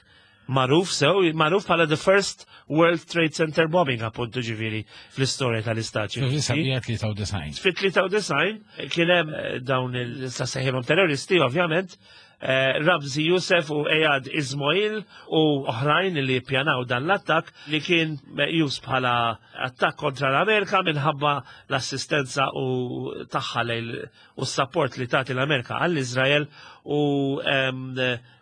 magħruf sew, magħruf bħala the first World Trade Center bombing appuntu ġifieri fl-istorja tal-Istati Uniti. Fil-1993. Fit-93 kien hemm dawn il-sasseħilhom terroristi ovvjament Rabzi Youssef u Eyad Ismoil u oħrajn li ppjanaw dan l-attakk li kien meqjus bħala attakk kontra l-Amerika minħabba l-assistenza u tagħha lejn u s-sapport li tagħti l-Amerika għall-Iżrael u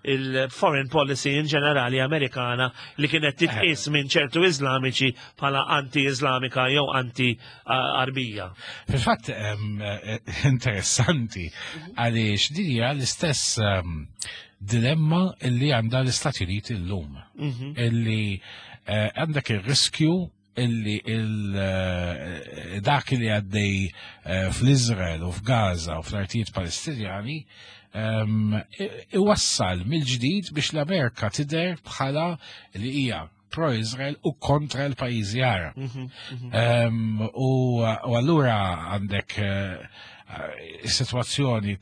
il-foreign policy in ġenerali Amerikana li kienet titqis minn ċertu Iżlamiċi bħala anti-Iżlamika jew anti-Arbija. Fil-fatt interessanti għaliex din hija l-istess dilemma illi għandha l-Istati Uniti llum. Illi għandek ir-riskju illi dak li għaddej fl-Izrael u f'Gaza u fl-artijiet Palestinjani iwassal mill-ġdid biex l-Amerika tidher bħala li hija pro-Izrael u kontra l-pajjiżi Arab. U allura għandek is-sitwazzjoni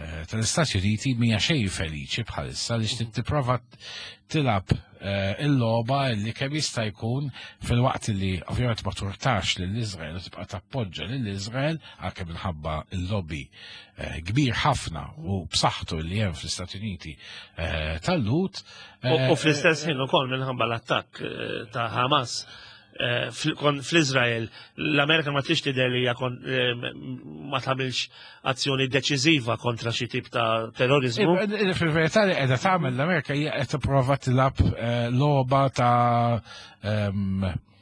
tal-Istati Uniti mija xejn feliċi bħalissa li tipprova tilgħab il-logħba li kemm jista' jkun filwaqt li ovvjament ma turtax lil Iżrael u tibqa' tappoġġa lil Iżrael għalkemm minħabba l-lobby kbir ħafna u b'saħħtu li hemm fl-Istati Uniti tal-Lhud. U fl-istess ħin ukoll minħabba l-attakk ta' Hamas fl-Izrael, l-Amerika ma trix tidher li hija ma tagħmilx azzjoni deċiżiva kontra xi tip ta' terrorizmu. Fil-verità li qiegħda tagħmel l-Amerika hija qed tipprova tilgħab logħba ta'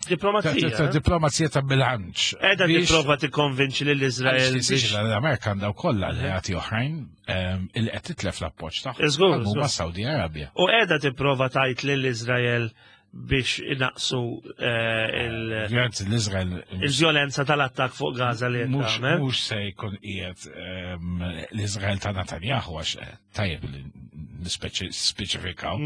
Diplomazija. Ta' diplomazija ta' bilanċ. Qiegħda tipprova tikkonvinċi lil Iżrael. L-Amerika għandha wkoll alleati oħrajn il qed titlef l-appoġġ tagħha. Żgur. Huma Saudi Arabia. U qiegħda tipprova tgħid lil Iżrael biex inaqsu l-Izrael il-vjolenza tal-attak fuq Gaza li qed Mhux se jkun qiegħed l-Izrael ta' Netanyahu għax tajjeb li nispeċifikaw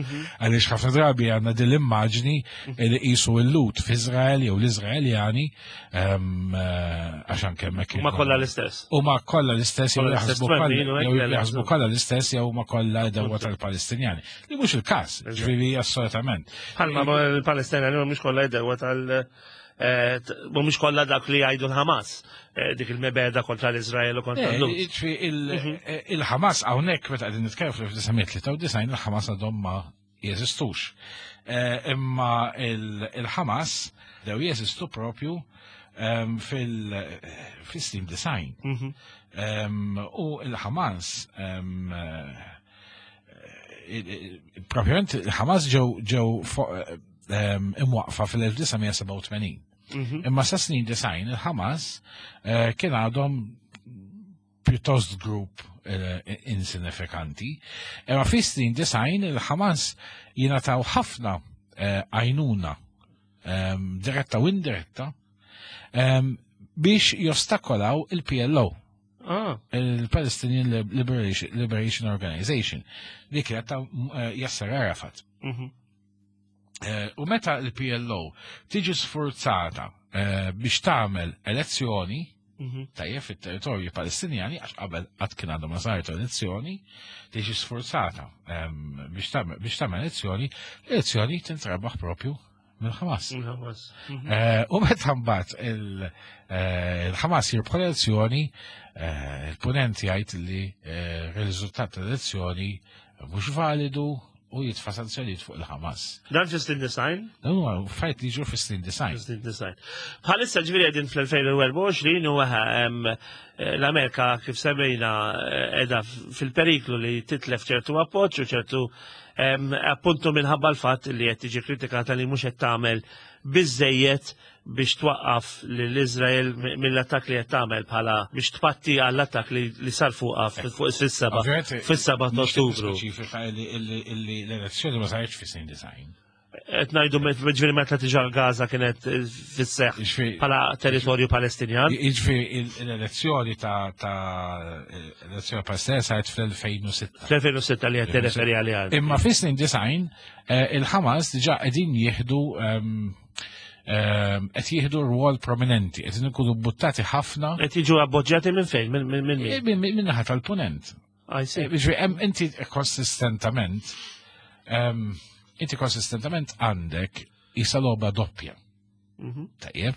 għaliex ħafna drabi għandna din l-immaġni li qisu l-Lut f'Iżrael jew l-Iżraeljani għax anke hemmhekk. Huma kollha l-istess. Huma kollha l-istess jew jaħsbu kollha l-istess jew huma kollha dewwa tal-Palestinjani. Li mhux il-każ, ġifieri assolutament. Bħalma l-Palestinjani mhumiex kollha jdewa tal mhumiex kollha dak li jgħidu l-Hamas, dik il-mebeda kontra l-Iżrael u kontra l-Lut. Il-Hamas hawnhekk meta qegħdin nitkellmu fl-1993 il-Hamas għadhom ma jeżistux. Imma il-Hamas dew jeżistu propju fil-snin design. U il-Hamas propjament il-Hamas ġew ġew imwaqfa fil-1987. Imma sa snin design il-Hamas kien għadhom pjuttost grupp insignifikanti. Imma fi snin design il-Hamas jingħataw ħafna għajnuna diretta u indiretta biex jostakolaw il-PLO. Il-Palestinian Liberation Organization, li kienet ta' Yasser Arafat. U meta il-PLO tiġi sforzata biex tagħmel elezzjoni, tajjeb fit-territorju Palestinjani, għax qabel qatt kien għadhom ma saret elezzjoni, tiġi sforzata biex tagħmel elezzjoni, l-elezzjoni tintrebaħ propju mill-Hamas. Mill-Hamas. U meta mbagħad il-Hamas jirbħu l-elezzjoni, il-punent jgħid li r-riżultat tal-elezzjoni mhux validu u jitfa' sanzjonijiet fuq il-Hamas. Dan fi snin design? Dan huwa fajt li ġru fi snin design. Fi snin design. Bħalissa ġifieri qegħdin fl-2024 u l-Amerika kif semmejna qiegħda fil-periklu li titlef ċertu appoġġ u ċertu appuntu minħabba l-fatt li qed tiġi kritikata li mhux qed tagħmel biżejjed biex twaqqaf lil Iżrael mill-attakk li qed tagħmel bħala biex tpatti għall-attakk li sar fuqha fuq fis-7 ta' Ottubru. Speċifika li l-elezzjoni ma saritx fi snin design. Qed ngħidu ġifieri meta diġà Gaza kienet fis-seħħ bħala territorju Palestinjan. Jiġifieri l-elezzjoni ta' elezzjoni Palestinjan saret fl-2006. Fl-2006 li qed tirreferi għaliha. Imma fis-snin design il-Ħamas diġà qegħdin jieħdu qed jieħdu rwol prominenti, qed ikunu buttati ħafna. Qed jiġu appoġġjati minn fejn? Minn min? Minn naħa tal-punent. Ġifieri inti konsistentament inti konsistentament għandek isa logħba doppja. Tajjeb.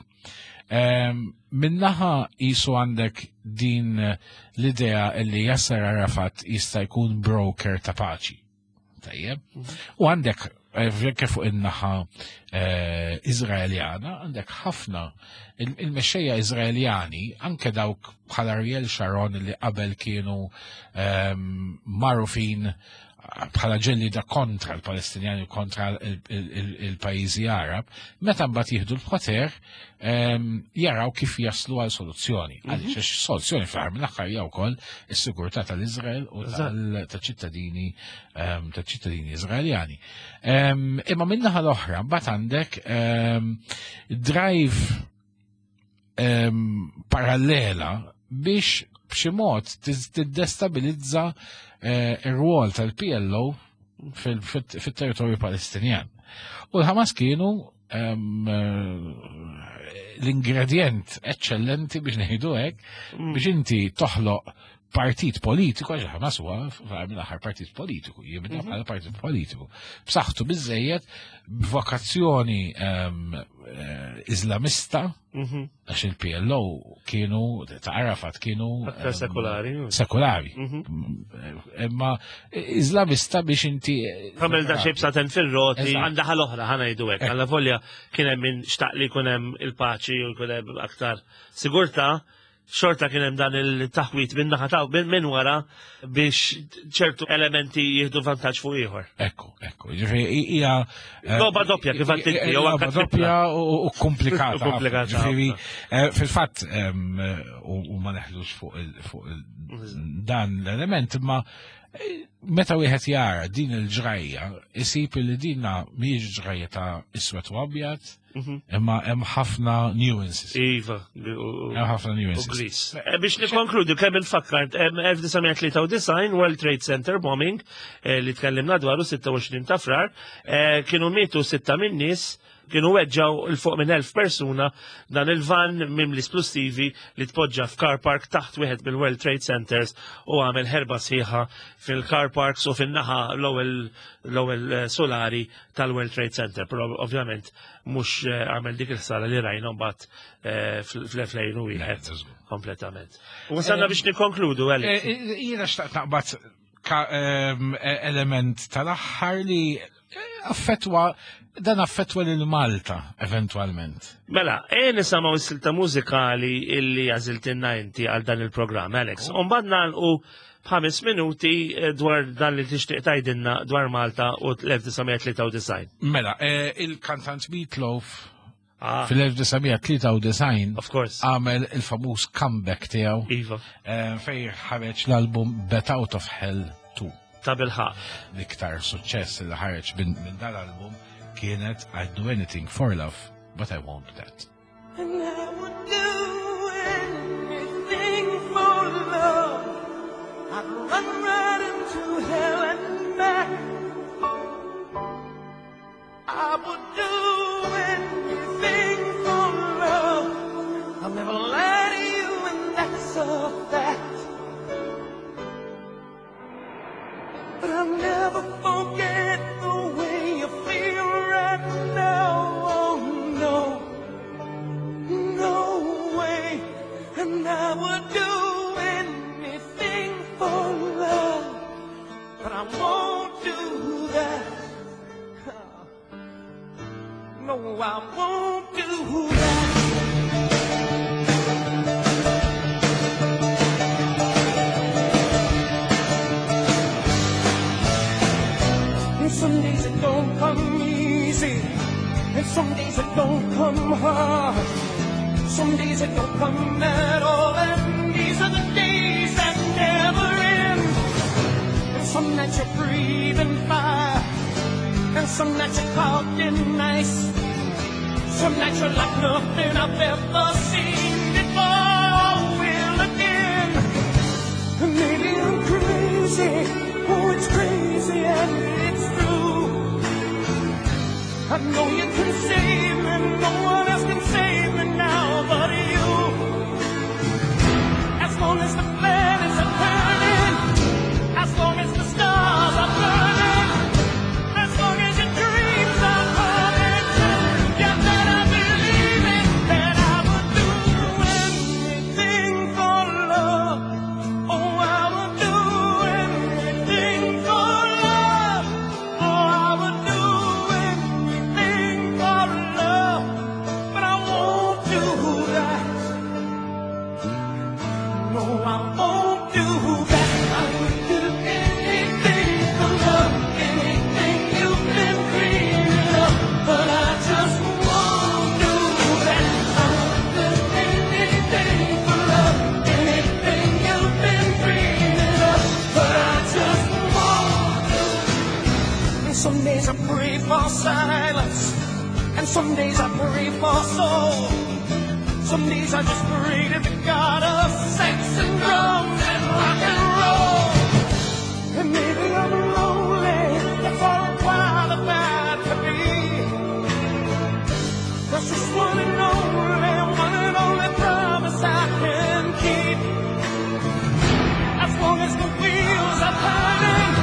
Minnaħa jisu għandek din l-idea li Yasser Arafat jista' jkun broker ta' paċi. Tajjeb. U għandek anke fuq in-naħa Izraeljana, għandek ħafna il-mexxejja Izraeljani, anke dawk bħal Ariel Sharon li qabel kienu magħrufin bħala ġellida kontra l-Palestinjani u kontra il-pajjiżi Arab, meta mbagħad jieħdu l-poter jaraw kif jaslu għal soluzzjoni. Għaliex għax soluzzjoni fl-aħħar mill-aħħar hija wkoll is-sigurtà tal-Iżrael u tal-ċittadini tal-ċittadini Iżraeljani. Imma min-naħa l-oħra mbagħad għandek drive parallela biex b'xi mod tiddestabilizza ir-rwol tal-PLO fit-territorju Palestinjan. U l-Hamas kienu l-ingredient eccellenti biex ngħidu hekk biex inti toħloq partit politiku, għax Hamas huwa mill-aħħar partit politiku, jibda bħala partit politiku. B'saħħtu biżejjed b'vokazzjoni Islamista, għax il-PLO kienu ta' Arafat kienu sekulari. Sekulari. Imma Islamista biex inti Għamel da xejb saten fil-roti, għandha ħal oħra ħa ngħidu hekk. Alla volja kien hemm min xtaq li jkun hemm il-paċi u jkun hemm aktar sigurtà, xorta kien hemm dan il-taħwit minn naħa ta' minn wara biex ċertu elementi jieħdu vantaġġ fuq ieħor. Ekku, ekku. Ġifieri hija logħba doppja kif għad inti, jew anke doppja u komplikata. Komplikata. Ġifieri fil-fatt u ma neħlux fuq dan l-element, imma meta wieħed jara din il-ġrajja, isib li dinna mhijiex ġrajja ta' iswed u abjad, imma hemm ħafna nuances. Iva. Hemm ħafna nuances. Biex nikkonkludu kemm infakkar 1993 World Trade Center bombing li tkellimna dwaru 26 ta' Frar, kienu mietu 6 minn nies, kienu weġġaw il fuq minn 1000 persuna dan il-van mimli splussivi li tpoġġa f'car park taħt wieħed mill-World Trade Centers u għamel ħerba sħiħa fil-car parks u fin-naħa l-ewwel solari tal-World Trade Center. Però ovvjament mhux għamel dik il-ħsara li rajna mbagħad fl-2001 kompletament. U wasalna biex nikkonkludu, Alex. Jiena xtaqt naqbad element tal-aħħar li affettwa dan affettwa lil Malta eventualment. Mela, nisimgħu s-silta mużikali illi għażiltilna inti għal dan il-programm, Alex. U mbagħad nagħlqu b'ħames minuti dwar dan li tixtieq tgħidilna dwar Malta u l-1993. Mela, il-kantant Meatloaf fil-1993 Of course. għamel il-famuż comeback tiegħu. Iva. Fej ħareġ l-album Bat Out of Hell 2. Ta' bilħaq. L-iktar suċċess li ħareġ minn dal-album kienet I'd Do Anything for Love, But I Won't Do That. And I would do anything for love. I'd run right into hell and back. I would do anything for love. I'll never lie to you, and that's a fact. But I'll never forget the way you feel right now. Oh no, no way. And I would do anything for love, but I won't do that. No, I won't do that. And some days it don't come easy, and some days it don't come hard. Some days it don't come at all, and these are the days that never end. And some nights you're breathing fire, And some nights you're talking nice. Some nights you're like nothing I've ever seen before. Will again. Maybe I'm crazy. Oh, it's crazy and it's true. I know you can save me. No one else can save me now but you. As long as the planets are turning, as long as the stars are burning, as long as your dreams are coming true, you better believe it that I would do anything for love. Oh, I would do anything for love. Oh, I would do anything for love. But I won't do that. No, I won't do that. I would do anything for love, anything you've been dreaming of. But I just won't do that. I would do anything for love, anything you've been dreaming of. But I just won't do. And some days I pray for silence, and some days I pray for soul. Some days I just pray to the God of sex and drums and rock and roll. And maybe I'm lonely, that's all I'm qualified to be. That's just one and only promise I can keep. As long as the wheels are turning,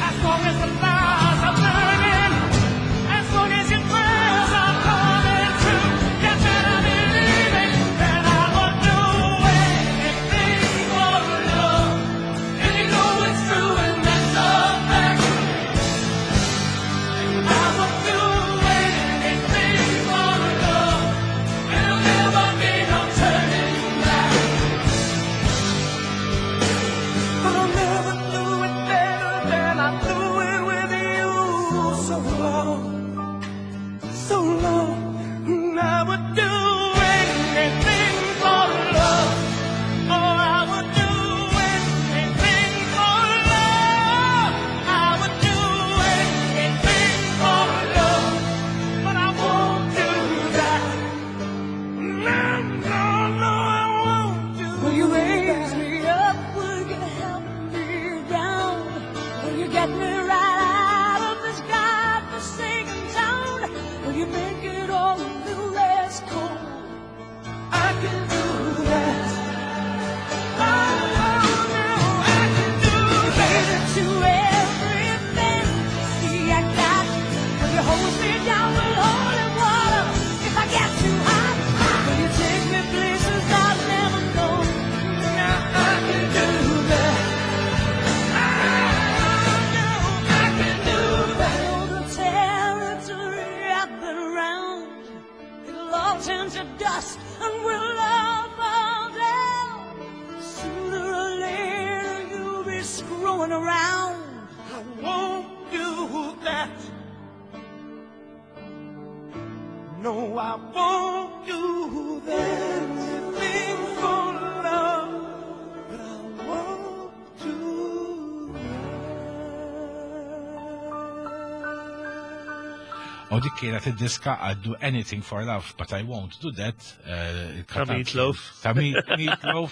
as long as the fires are burning, as long as your prayers are coming true, you better believe it that I would do anything for love. And you know it's true, and that's a fact. I would do anything for love, and there'll never be no turning back. But I'll never do it better than I do it with you. So long, so long. I would do anything for love. Oh, I would do anything for love. I would do anything for love. But I won't do that. No, no, no, I won't do Will you raise that. me up? Will you help me down? Will you get me right out of this godforsaken town? Will you make it all a little less cold? I can do that. Oh, oh, no, I can do that. Cater to every fantasy I got. Will you hose me down with holy water if I get too hot? Will you take me places I've never known? Now I can do that. Oh, no, I can do that. All the territory I've been around, it'll all turn to dust and we'll all fall down. Sooner or later you'll be screwing around. I won't do that. No, I won't do that. Anything for love, but I won't do that. U dik kienet id-diska I'd do anything for love, but I won't do that. Ta' Meatloaf. Ta' Meatloaf.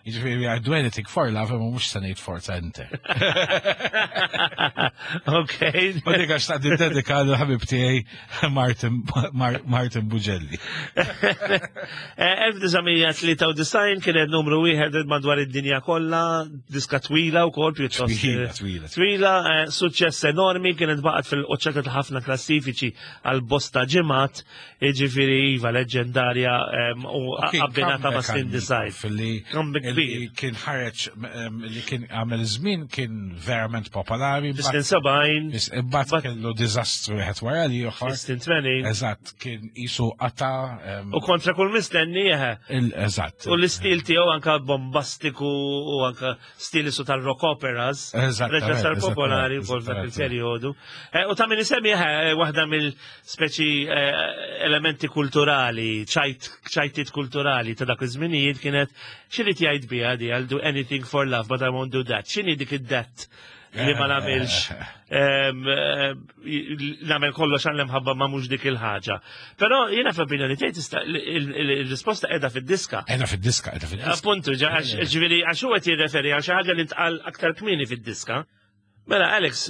Jiġifieri I'd do anything for love, imma mhux se ngħid forza ente. Ok. U dik għax ta' dedika l-ħabib tiegħi Martin Bugelli. 1993 kienet numru 1 madwar id-dinja kollha, diska twila wkoll pjuttost. Twila, twila. Twila, suċċess enormi, kienet baqgħet fil-qoċċata ta' ħafna klassifiċi għal bosta ġimgħat, jiġifieri iva leġendarja u abbinata ma' Slim Design. Fil-li Comeback li kbir. kien ħareġ li kien għamel żmien kien verament popolari. Fis-snin 70, Imbagħad kellu diżastru wieħed wara li ieħor. fis-snin 80, Eżatt, kien isu qata. u kontra kull mistenni, Eżatt. U l-istil tiegħu anka bombastiku u anka stil isu tal-rock operas. Eżattament, Reġa sar popolari wkoll f'dak il-perjodu. U ta' min isemmi waħda mill-speċi elementi kulturali, ċajtiet kulturali ta' dak iż-żminijiet kienet x'irid jgħid biha di I'll do anything for love but I won't do that. X'inhi dik id-that? li ma nagħmilx nagħmel kollox għal imħabba ma mhux dik il-ħaġa. Però jiena f'opinjoni tiegħi tista' il-risposta qiegħda fid-diska. Qiegħda fid-diska, qiegħda fid-diska. Appuntu, ġifieri għax huwa qed jirreferi għal xi ħaġa li ntqal aktar kmieni fid-diska. Mela, Alex,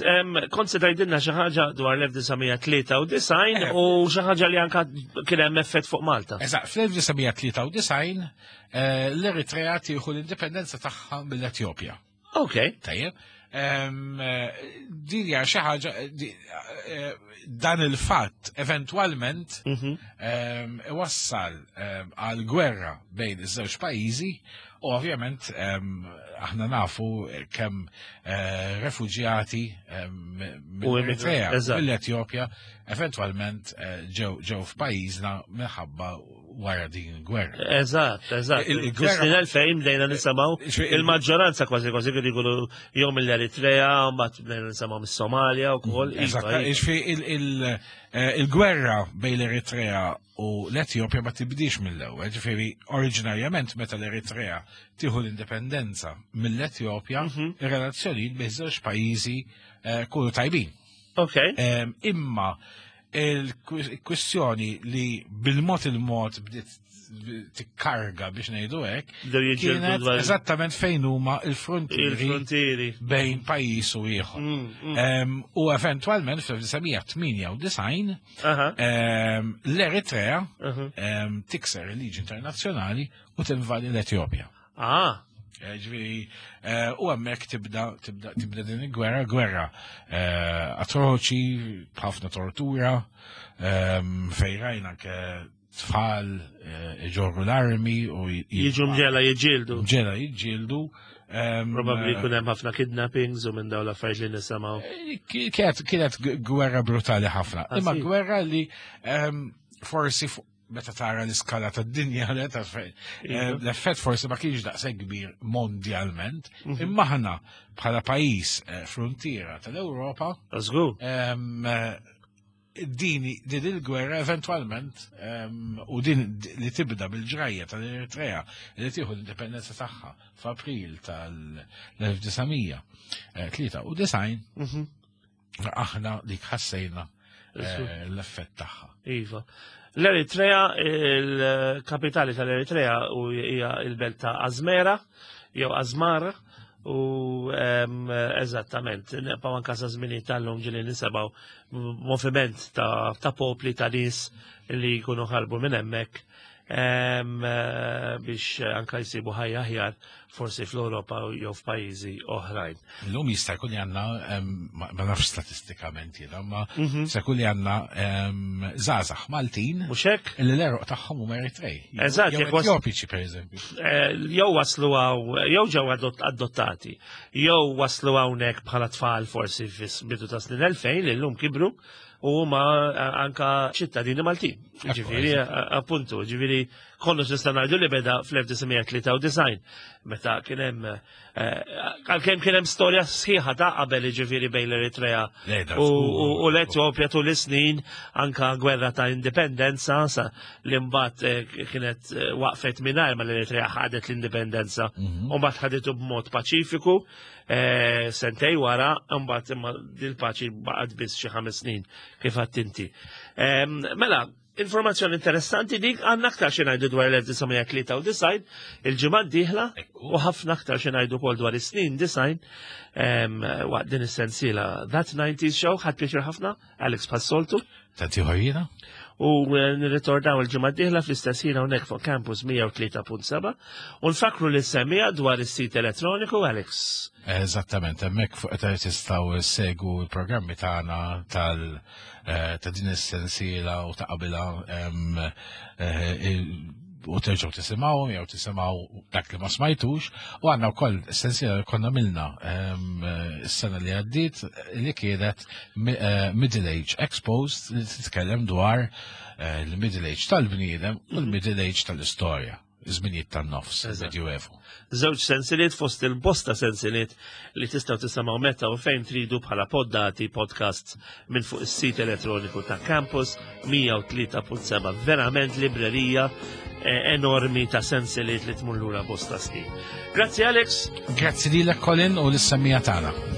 kont se tgħidilna xi ħaġa dwar l-1993 eh. u xi ħaġa li anka kien hemm effett fuq Malta. Eżatt, fl-1993 eh, l-Eritrea tieħu l-indipendenza tagħha mill-Etjopja. Ok. Tajjeb. Eh, din hija xi ħaġa dan il-fatt eventwalment mhm. iwassal għal gwerra bejn iż-żewġ pajjiżi U ovvjament aħna nafu kemm eh, refuġjati mill-Eritrea, mill-Etjopja, eventwalment eh, ġew f'pajjiżna minħabba wara din il-gwerra. Eżatt, eżatt. Il-gwerra 2000 bdejna nisimgħu il-maġġoranza kważi kważi kienu jkunu jew mill-Eritrea, mbagħad bdejna nisimgħu mis-Somalja wkoll. Mm, eżatt, iva, iva. eh, il-gwerra bejn l-Eritrea u l-Etjopja ma tibdix mill-ewwel, ġifieri oriġinarjament meta l-Eritrea tieħu l-indipendenza mill-Etjopja, mhm. ir-relazzjonijiet bejn żewġ pajjiżi eh, kunu tajbin. Ok. Imma il-kwistjoni li bil-mod il-mod bdiet tikkarga biex ngħidu hekk. Kienet eżattament fejn huma il-frontieri bejn pajjiż u ieħor. Mm, mm. U eventwalment fl-1998 L-Eritrea tikser il-liġi internazzjonali u tinvadi l-Etjopja. Ah. Eh, ġifieri, eh, u hemmhekk tibda tibda tibda din il-gwerra, gwerra eh, atroċi, ħafna tortura, ehm, fejn rajna anke tfal iġorru l-armi u jiġu mġela jiġġieldu. Mġela jiġġieldu. Ehm, Probabbli jkun hemm ħafna kidnappings u minn dawn l-affarijiet li nisimgħu. Kienet kienet gwerra brutali ħafna. Ah, Imma gwerra li ehm, forsi meta tara l-iskala tad-dinja eh, iva. l-effett forsi ma kienx daqshekk kbir mondjalment, mhm. imma aħna bħala pajjiż eh, frontiera tal-Ewropa. Ehm, eh, din din il-gwerra eventwalment ehm, u din li tibda bil-ġrajja tal-Eritrea li tieħu l-indipendenza tagħha f'April tal-1993 mhm. aħna dik ħassejna eh, l-effett tagħha. Iva. L-Eritrea, il-kapitali tal-Eritrea u hija il-belt ta' Azmera jew Azmara u eżattament, neqpaw anka sa żminijiet tal-lum ġili nisebaw moviment ta', ta popli ta' nies li jkunu ħarbu minn hemmhekk eh, biex anka jsibu ħajja aħjar forsi fl-Ewropa jew f'pajjiżi oħrajn. Illum jista' jkun li għandna ma nafx statistikament jiena, ma mhm. jista' jkun li għandna żgħażagħ Maltin. Mhux hekk? Li l-eruq tagħhom huma Eritrej. Eżatt, jew Etjopiċi pereżempju. Eh, jew waslu hawn, jew ġew adottati, jew waslu hawnhekk bħala tfal forsi fis-bidu ta' snin 2000 li llum kibru u huma eh, anka ċittadini Maltin. Ġifieri, eh, appuntu, ġifieri kollox nista' ngħidu li beda fl-1993 meta kien hemm eh, għalkemm kien hemm storja sħiħa ta' qabel ġifieri bejn l-Eritrea u l-Etjopja tul is-snin anka gwerra ta' indipendenza sa li mbagħad eh, kienet eh, waqfet mingħajr ma l-Eritrea ħadet l-indipendenza mhm. u mbagħad ħaditu b'mod paċifiku sentej wara mbagħad imma dil-paċi baqgħet biss xi ħames snin kif għadt inti. Mela, Informazzjoni interessanti dik għandna aktar xi ngħidu dwar l-1993 il-ġimgħa d-dieħla u ħafna aktar xi ngħidu wkoll dwar is-snin design waqt din is-sensiela That 90s Show ħadd pjaċir ħafna Alex Passoltu. Tanti ħajjina. U eh, nirritornaw il-ġimgħa d-dieħla fl-istess ħin hawnhekk fuq Campus 103.7 u nfakru li semmija dwar is-sit elettroniku Alex. Eżattament, hemmhekk fuq qed tistgħu segu l-programmi tagħna tal eh, ta' din is-sensiela u ta' qabilha eh, u terġgħu tisimgħuhom jew tisimgħu dak li ma smajtux u għandna wkoll sensiela li konna milna s-sena li għaddiet li kienet eh, Middle Age Exposed li titkellem dwar l-Middle Age tal-bniedem u l-Middle Age tal-istorja żminijiet tan-nofs, Medjuevu. Żewġ sensiliet fost il-bosta sensiliet li tistgħu tisimgħu meta u fejn tridu bħala poddati podcasts minn fuq is-sit elettroniku ta' Campus 103.7. Verament librerija eh, enormi ta' sensiliet li tmur lura bosta snin. Grazzi Alex. Grazzi lilek Colin u lis-semmija tagħna.